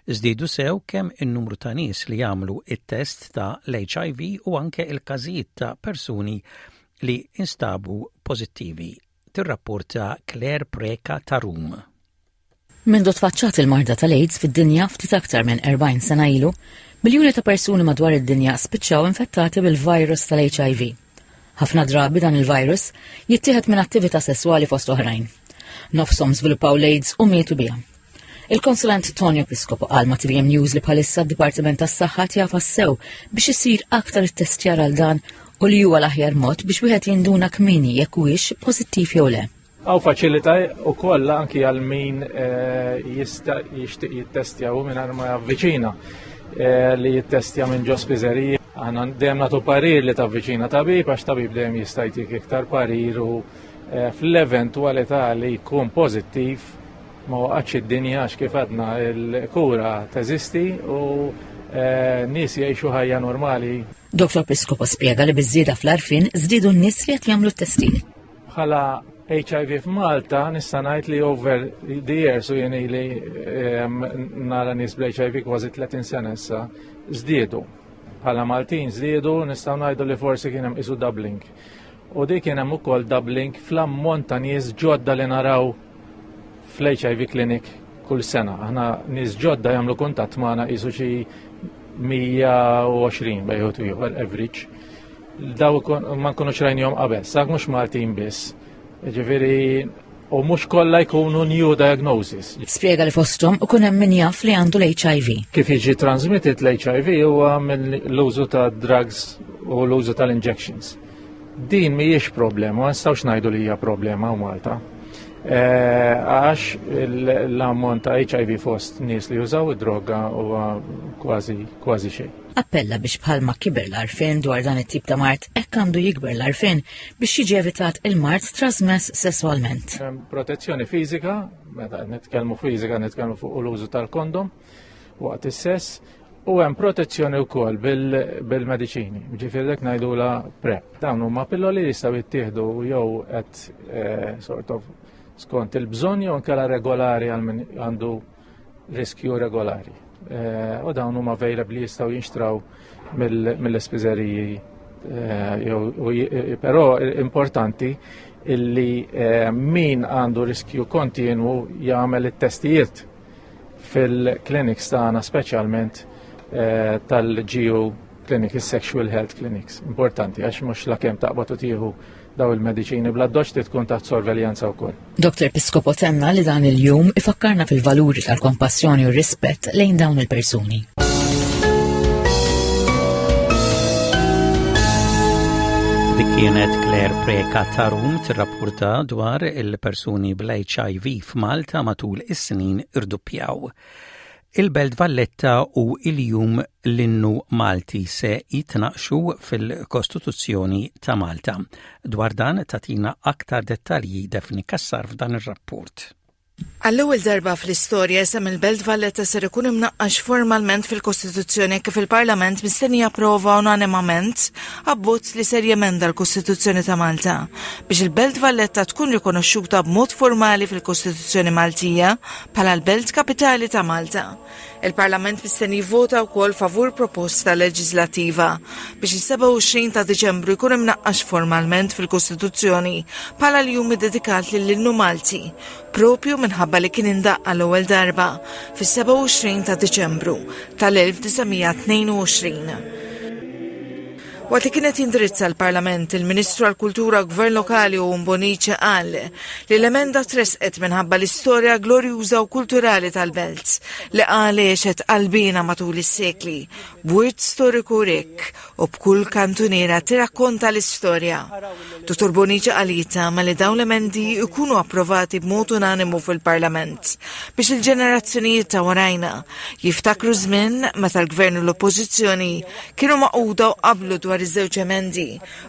Speaker 4: żdiedu sew kemm in-numru ta' nies li jagħmlu it-test ta' l-H I V u anke il-każijiet ta' persuni li instabu pożittivi. Tirrapporta Claire Preka ta' Rum.
Speaker 17: Mindu tfaċċat il-marda tal-AIDS fid-dinja ftit aktar minn erbgħin sena ilu, miljuni ta' persuni madwar id-dinja spiċċaw infettati bil-virus tal-H I V. Ħafna drabi dan il-virus jittieħed minn attività sesswali fost oħrajn. Nofshom żviluppaw l-AIDS u mietu biha. Il-konsulent Tonio Piscopo qal ma' T V M News li bħalissa d-Dipartiment tas-Saħħa jagħfas sew biex isir aktar it-testjar għal dan u li huwa l-aħjar mod biex wieħed jinduna kmieni jekk huwiex pożittiv jew le.
Speaker 18: Hawn faċilità u koll anki għal min eh, jista' jixtieq jittestja u minn ma javviċina eh, li jittestja minn ġo spiżeriji. Aħna dejjem nagħtu parir li tavviċina tabib, għax tabib dejjem jista' jtik iktar parir u eh, fl-eventwalità li jkun pożittiv ma waqgħatx id-dinja, għax kif għadna il-kura teżisti u nies jgħixu ħajja normali.
Speaker 17: Doktor Piscopo spjega li biż-żieda fl-għarfien żdiedu n-nies li qed jagħmlu t-testijiet.
Speaker 18: Bħala H I V f'Malta nista' ngħid li over the years, u jien li nara nies bl-H I V kważi tletin sena issa, żdiedu. Bħala Maltin żdiedu, nistgħu ngħidu li forsi kien hemm isu doubling. U dik kien hemm ukoll doubling fl-ammont ta' nies ġodda li naraw fl-H I V clinic kull sena. Aħna nies ġodda jagħmlu kuntatt magħna qisu xi mija u għoxrin bejn ieħor average. Daw ma nkunux rajnihom qabel, sak mhux Maltin biss. Ġifieri, u mhux kollha jkunu new diagnosis.
Speaker 17: Spjega li fosthom ikun hemm min jaf li għandu l-H I V.
Speaker 18: Kif jiġi transmitted l-H I V huwa mill-użu ta' drugs u l-użu tal-injections. Din mhijiex problema, ma nistgħux ngħidu li hija problema u Malta. Eh, għax l-ammont ta' H I V fost nies li jużaw id-droga huwa kważi kważi xejn.
Speaker 17: Appella biex bħalma kiber l-għarfien dwar dan it-tip ta' mard, hekk għandu jikber l-għarfien biex jiġi evitat il-mard trasmess sesswalment.
Speaker 18: Protezzjoni fiżika, meta nitkellmu fiżika nitkellmu fuq l-użu tal-kondom waqt is-sess, u hemm protezzjoni wkoll bil-mediċini, ġifieri dik ngħidula PrEP. Dawn huma pilloli li jistgħu jittieħdu jew qed eh, sort of skont il-bżonn jew inkella regolari għal min għandu riskju regolari. Eh, u dawn huma available, jistgħu jinxtraw mill-ispiżeriji. eh, però importanti illi eh, min għandu riskju kontinwu jagħmel it-testijiet. fil-clinics tagħna, speċjalment eh, tal-G U Clinic, is-Sexual Health Clinics. Importanti għax mhux la kemm taqbad u tieħu daw il-mediċini bla doċ, tkun taħt sorveljanza wkoll.
Speaker 17: Doktor Piscopo tenna li dan il-jum ifakkarna fil-valuri tal-kompassjoni u rispett lejn dawn il-persuni.
Speaker 4: Dik kienet Claire Preka Tarum tirrapporta dwar il-persuni bl-H I V f'Malta matul is-snin irduppjaw. Il-Belt Valletta u il-jum l-innu Malti se jitnaqxu fil-Kostituzzjoni ta' Malta. Dwar dan tatina aktar dettalji Daphne Kassar f'dan ir-rapport.
Speaker 19: Għall-ewwel darba fl-istorja, isem il-Belt Valletta ser ikun imnaqqax formalment fil-Kostituzzjoni, kif il-Parlament mistenni japprova unanimament abbozz li ser jemenda l-Kostituzzjoni ta' Malta biex il-Belt Valletta tkun rikonoxxuta b'mod formali fil-Kostituzzjoni Maltija bħala l-Belt Kapitali ta' Malta. Il-Parlament mistenni jivvota wkoll favur proposta leġislattiva biex is-sebgħa u għoxrin ta' Diċembru jkun imnaqqax formalment fil-Kostituzzjoni bħala l-jum iddedikat lill-innu Malti, propju minħabba li kien indaqqa l-ewwel darba fis-sebgħa u għoxrin ta' Diċembru tal-elf disa' mija tnejn u għoxrin. Waqt li kienet jindirizza l-Parlament, il-Ministru għal-Kultura u Gvern Lokali Owen Bonnici qal li l-emenda tresqet minħabba l-istorja glorjuża u kulturali tal-belt li qal għexet qalbina matul is-sekli, b'wirt storiku rikk u b'kull kantuniera tirrakkonta l-istorja. Dottor Bonnici qal jittama li dawn l-emendi jkunu approvati b'mod unanimu fil-Parlament biex il-ġenerazzjonijiet ta' warajna jiftakru żmien meta l-Gvern u l-Oppożizzjoni kienu magħquda u qablu dwar iż-żewġ emendi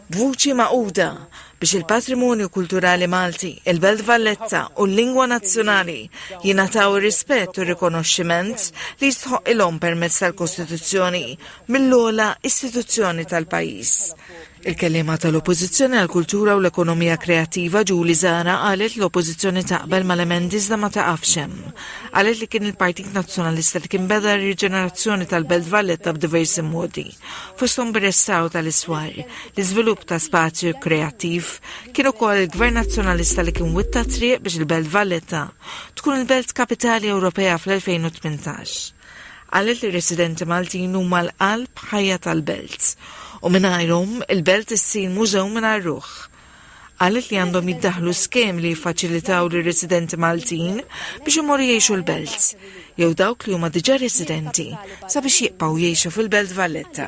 Speaker 19: b'vuċi magħquda biex il-patrimonju kulturali Malti, il-Belt Valletta u l-lingwa nazzjonali jingħataw ir-rispett u rikonoxximent li jistħoqqilhom permezz tal-Kostituzzjoni mill-ogħla istituzzjoni tal-pajjiż. Il-kellima tal-Oppożizzjoni għal-Kultura u l-Ekonomija Kreattiva Julie Zahra qalet l-Oppożizzjoni taqbel mal-emendi iżda ma taqafx hemm. Qalet li kien il-Partit Nazzjonalista li kien beda r-riġenerazzjoni tal-Belt Valletta b'diversi modi. Fosthom bir-restawr tal-iswar, l-iżvilupp ta' spazju kreattiv, kien ukoll il-Gvern Nazzjonalista li kien witta triq biex il-Belt Valletta tkun il-Belt Kapitali Ewropea fl-elfejn u tmintax. Qalet li residenti Maltin huma l-qalb ħajja tal-belt u mingħajrhom il-belt issir mużew mingħajr ruħ. Qalet li għandhom jiddaħlu skemi li jiffaċilitaw lir residenti Maltin biex imorru jgħixu l-belt jew dawk li huma diġà residenti sabiex jibqgħu jgħixu fil-Belt Valletta.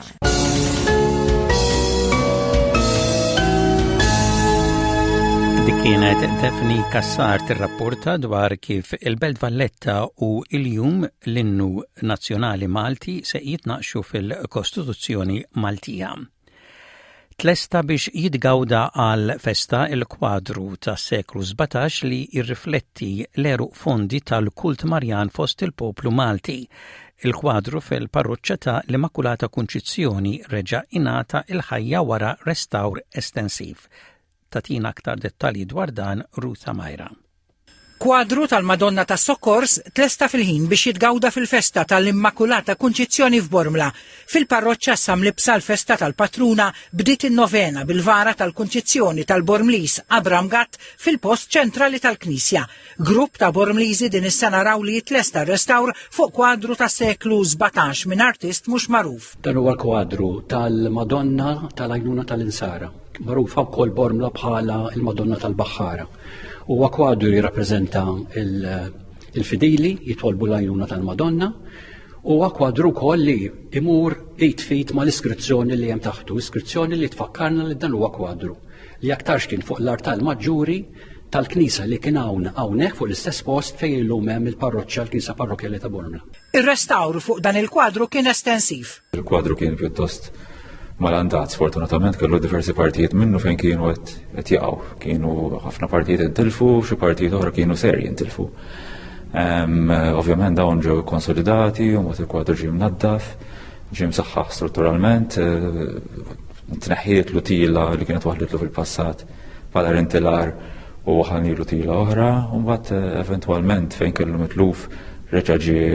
Speaker 4: Dik kienet Daphne Kassar tirrapporta dwar kif il-Belt Valletta u il-jum l-innu nazzjonali Malti se jitnaqxu fil-Kostituzzjoni Maltija. Tlesta biex jitgawda għal festa il-kwadru tas seklu sbatax li jirrifletti l-għeruq fondi tal-kult Marjan fost il-poplu Malti. Il-kwadru fil-parroċċa ta' l-Immakulata Kunċizzjoni reġa' ingħata il-ħajja wara restawr estensiv. Tatina aktar dettalji dwar dan Ruth Majra.
Speaker 20: Kwadru tal-Madonna ta' Sokkors tlesta fil-ħin biex jitgawda fil-festa tal-Immakulata Kunċizzjoni f'Bormla. Fil-parroċċa issa mlibbsa l-festa tal-patruna bdiet in-novena bil-vara tal-Kunċizzjoni tal-Bormlis Abram Gatt fil-post ċentrali tal-Knisja. Grupp ta' Bormliżi din is-sena raw li jitlesta restawr fuq kwadru ta' seklu sbatax minn artist mhux magħruf.
Speaker 21: Dan huwa kwadru tal-Madonna tal-Għajnuna tal-Insara, magħrufa wkoll Bormla bħala il-Madonna tal-Baħħara. Huwa kwadru jirrappreżenta il-fidili jitolbu l-għajnuna tal-Madonna. Huwa kwadru wkoll li imur id f'id mal-iskrizzjoni li hemm taħtu, iskrizzjoni li tfakkarna li dan huwa kwadru li aktarx kien fuq l-artal maġġuri tal-knisa li kien hawn hawnhekk fuq l-istess post fejn illum hemm il-parroċċa, l-Knisja Parrokkjali ta' Bormla.
Speaker 20: Ir-restawr fuq dan il-kwadru kien estensiv.
Speaker 22: Il-kwadru kien pjuttost malandat, sfortunatament kellu diversi partijiet minnu fejn kienu qed jaqgħu. Kienu ħafna partijiet intilfu, xi partijiet oħra kienu serji intilfu. Ovvjament dawn ġew konsolidati u mod il-kwadru ġie mnaddaf, ġie msaħħaħ strutturalment, eh, tneħħiet tila li kienet waħlitlu fil-passat bħala rintilar u waħanilu tila oħra, u mbagħad eh, eventwalment fejn kellu mitluf reġa' ġie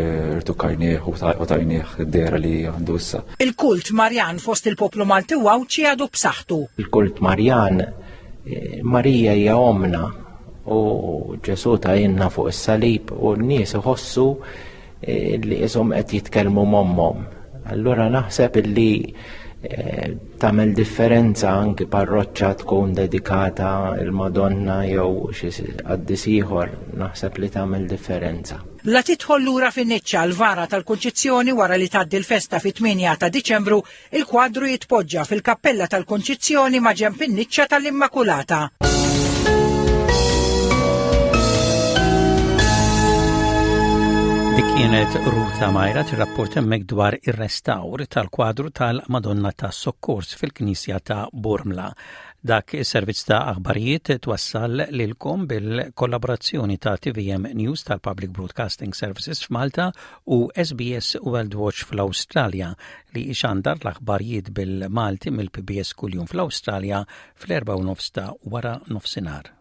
Speaker 22: rtukkajnieh u tajnieh id-dehra li għandu issa.
Speaker 20: Il-kult Marjan fost il-poplu Malti u Għawdxi għadu b'saħħtu.
Speaker 23: Il-kult Marjan, eh, Marija hija omna u Ġesu tgħinna fuq is-salib u n-nies iħossu li qishom qed jitkellmu m'ommhom. Allura naħseb illi eh, tagħmel differenza anki parroċċa tkun dedikata il-Madonna jew xi qaddis ieħor, naħseb li tagħmel differenza.
Speaker 20: La tidħol lura fin-niċċa l-vara tal-Kunċizzjoni wara li tgħaddi l-festa fit-tmienja ta' Diċembru, il-kwadru jitpoġġa fil-Kappella tal-Kunċizzjoni ma' ġenb in-niċċa tal-Immakulata.
Speaker 4: Dik kienet Ruta Majra tirrapport hemmhekk dwar ir-restawr tal-kwadru tal-Madonna tas-Sokkors fil-Knisja ta' Bormla. Dak is-servizz ta' aħbarijiet twassal lilkom bil-kollaborazzjoni ta' T V M News tal-Public Broadcasting Services f'Malta u S B S World Watch fl-Awstralja, li ixandar l-aħbarijiet bil-Malti mill-P B S kuljum fl-Awstralja fl-erba' u nofs ta' wara nofsinhar.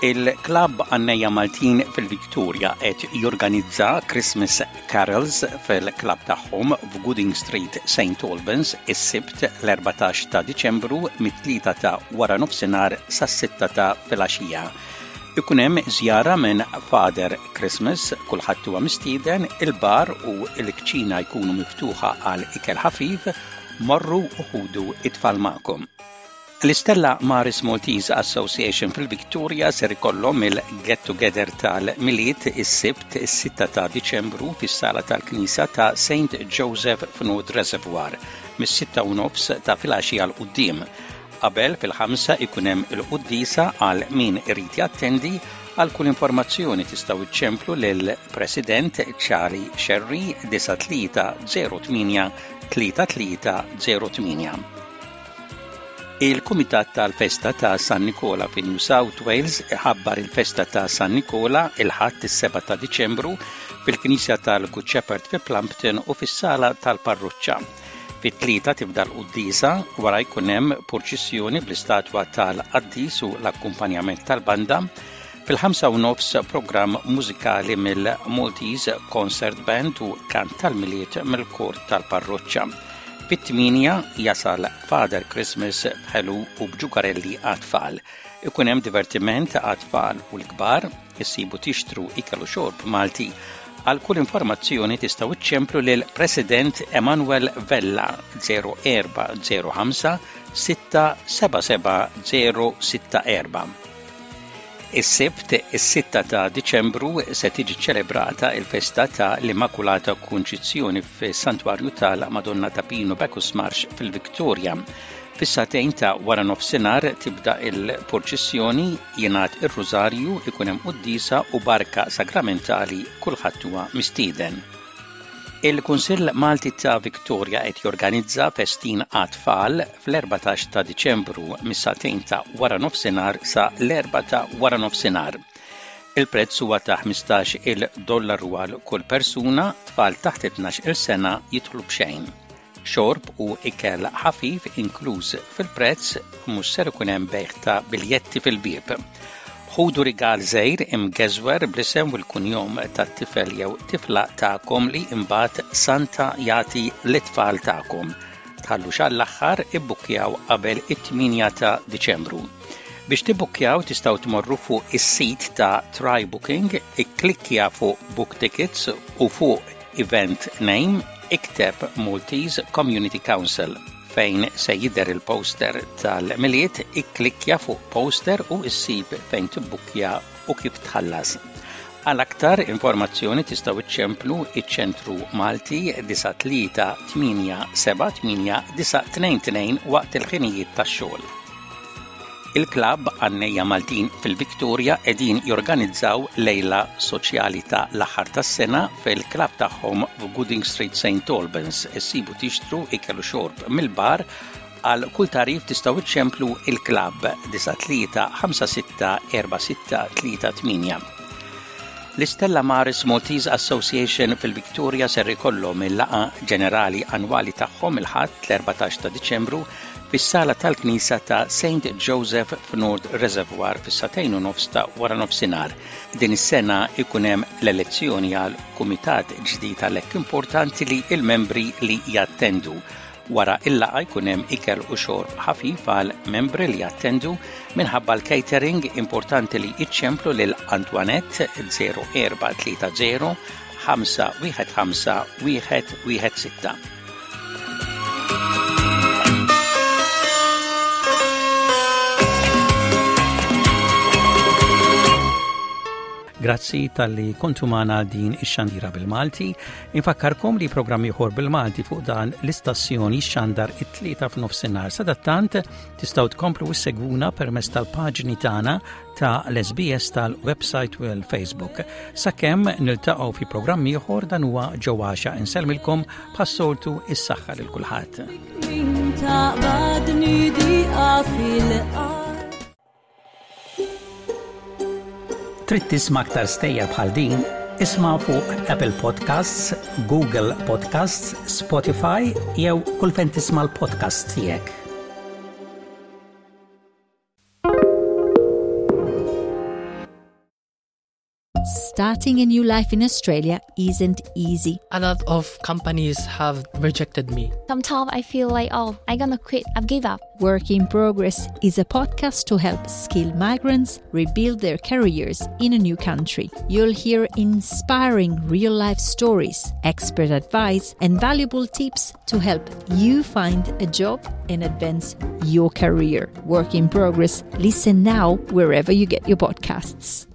Speaker 4: Il-Klabb Għannejja Maltin fil-Victoria qed jorganizza Christmas Carols fil-klabb tagħhom f'Gooding Street, Saint Albans, is-Sibt l-erbatax ta' Diċembru mit-tlieta ta' wara nofsinhar sas-sitta ta' filgħaxija. Ikun hemm żjara minn Father Christmas, kulħadd huwa mistieden, il-bar u l-kċina jkunu miftuħa għal ikel ħafif, morru u ħudu it-tfal magħkom. L-Istella Maris Maltese Association fil-Victoria ser ikollhom il-Get Together tal-Milied is-Sibt is-sitta ta' Diċembru fis-sala tal-Knisja ta' Saint Joseph f'North Reservoir mis-sitta u nofs ta' filgħaxija 'l quddiem. Qabel fil-ħamsa ikun hemm il-quddiesa għal min irid jattendi. Għal kull informazzjoni tistgħu iċċemplu lil President Charlie Sherry disgħa tlieta zero tmienja tlieta tlieta zero tmienja. Il-Kumitat tal-Festa ta' San Nikola fi New South Wales iħabbar il-Festa ta' San Nikola il-Ħadd is-sebgħa ta' Diċembru fil-Knisja tal-Good Shepherd fi Plumpton u fis-Sala tal-Parroċċa. Fit-tlieta tibda l-quddiesa, wara jkun hemm purċissjoni bl-istatwa tal-qaddis u l-akkumpanjament tal-banda. Fil-ħamsa u nofs programm mużikali mill-Maltese Concert Band u kant tal-Milied mill-kor tal-parroċċa. Fit-tmienja jasal Father Christmas b'ħelu u b'ġugarelli għat-tfal. Ikun hemm divertiment għat-tfal u l-kbar, issibu tixtru ikel u xorb Malti. Għal kull informazzjoni tistgħu iċċemplu lil President Emanuel Vella zero erba' zero ħamsa sitta seba' seba' zero sitta erba'. Is-Sibt is-sitta ta' Diċembru se tiġi ċelebrata il-festa ta' l-Immakulata Kunċizzjoni fis-Santwarju tal-Madonna ta' Pinu Bacchus Marsh fil-Victoria. Fis-sagħtejn ta' wara nofsinhar tibda il-purċissjoni, jingħad ir-Rużarju, ikun hemm quddiesa u barka sagramentali, kulħadd huwa mistieden. Il-Kunsill Malti ta' Victoria qed jorganizza festin għat-tfal fl-erbatax ta' Diċembru mis-sagħtejn ta' wara nofsinhar sa l-erba' ta' wara nofsinhar. Il-prezz huwa ta' ħmistax il-dollaru għal kull persuna, tfal taħt tnax-il sena jidħlu b'xejn. Xorb u ikel ħafif inkluż fil-prezz, mhux ser ikun hemm bejgħ ta' biljetti fil-bieb. Ħudu rigal żgħir imgeżwer bl-isem u l-kunjom tat-tifel jew tifla tagħkom li imbagħad Santa jagħti lit-tfal tagħkom. Tħallux għall-aħħar, ibbukkjaw qabel it-tmienja ta' Diċembru. Biex tibbukkjaw tistgħu tmorru fuq is-sit ta' Try Booking, ikklikkja fuq Book Tickets u fuq Event Name ikteb Maltese Community Council. Fejn se jidher il-poster tal-Milied, ikklikkja fuq poster u issib fejn tibbukkja u kif tħallas. Għal aktar informazzjoni tistgħu iċċemplu iċ-Ċentru Malti disgħa tlieta tmienja seba' tmienja disgħa tnejn tnejn waqt il-ħinijiet tax-xogħol. Il-Klabb Għannejja Maltin fil-Victoria qegħdin jorganizzaw lejla soċjali ta' l-aħħar tas-sena fil-klabb tagħhom f'Gooding Street, Saint Albans. Issibu tixtru ikel u xorb mill-bar. Għal kull tagħrif tistgħu iċċemplu il-klabb disgħa tlieta ħamsa sitta erba' sitta tlieta tmienja. L-Istella Maris Maltese Association fil-Victoria ser ikollhom il-laqgħa ġenerali annwali tagħhom il-Ħadd l-erbatax ta' Diċembru fis-sala tal-Knisja ta' Saint Joseph f'North Reservoir fis-sagħtejn u nofs ta' wara nofsinhar. Din is-sena ikun hemm l-elezzjoni għal kumitat ġdid, għalhekk importanti li il-membri li jattendu. Wara il-laqgħa jkun hemm ikel u xorb ħafif għal membri li jattendu minħabba l-catering importanti li iċċemplu lil Antoinette zero erba' tlieta zero ħamsa wieħed ħamsa wieħed wieħed sitta. Grazzi tal-li kontu magħna din ix-xandira bil-Malti. Infakkarkom li programm ieħor bil-Malti fuq dan l-istazzjoni xandar it-tlieta f'nofsinhar. Sadattant tistgħu tkomplu issegwuna permezz tal-paġni tagħna ta' l-S B S tal-website u l-Facebook. Sakemm niltaqgħu fi programm ieħor, dan huwa Ġewwaxa. Insellmilkom bħas-soltu is-saħħa lil kulħadd. Trid tisma' aktar stejjer bħal din? Isma' fuq Apple Podcasts, Google Podcasts, Spotify jew kull fejn tisma' l-podcasts tiegħek.
Speaker 1: Starting a new life in Australia isn't easy.
Speaker 2: A lot of companies have rejected me.
Speaker 3: Sometimes I feel like, oh, I'm gonna quit, I've give up.
Speaker 1: Work in Progress is a podcast to help skilled migrants rebuild their careers in a new country. You'll hear inspiring real-life stories, expert advice, and valuable tips to help you find a job and advance your career. Work in Progress. Listen now wherever you get your podcasts.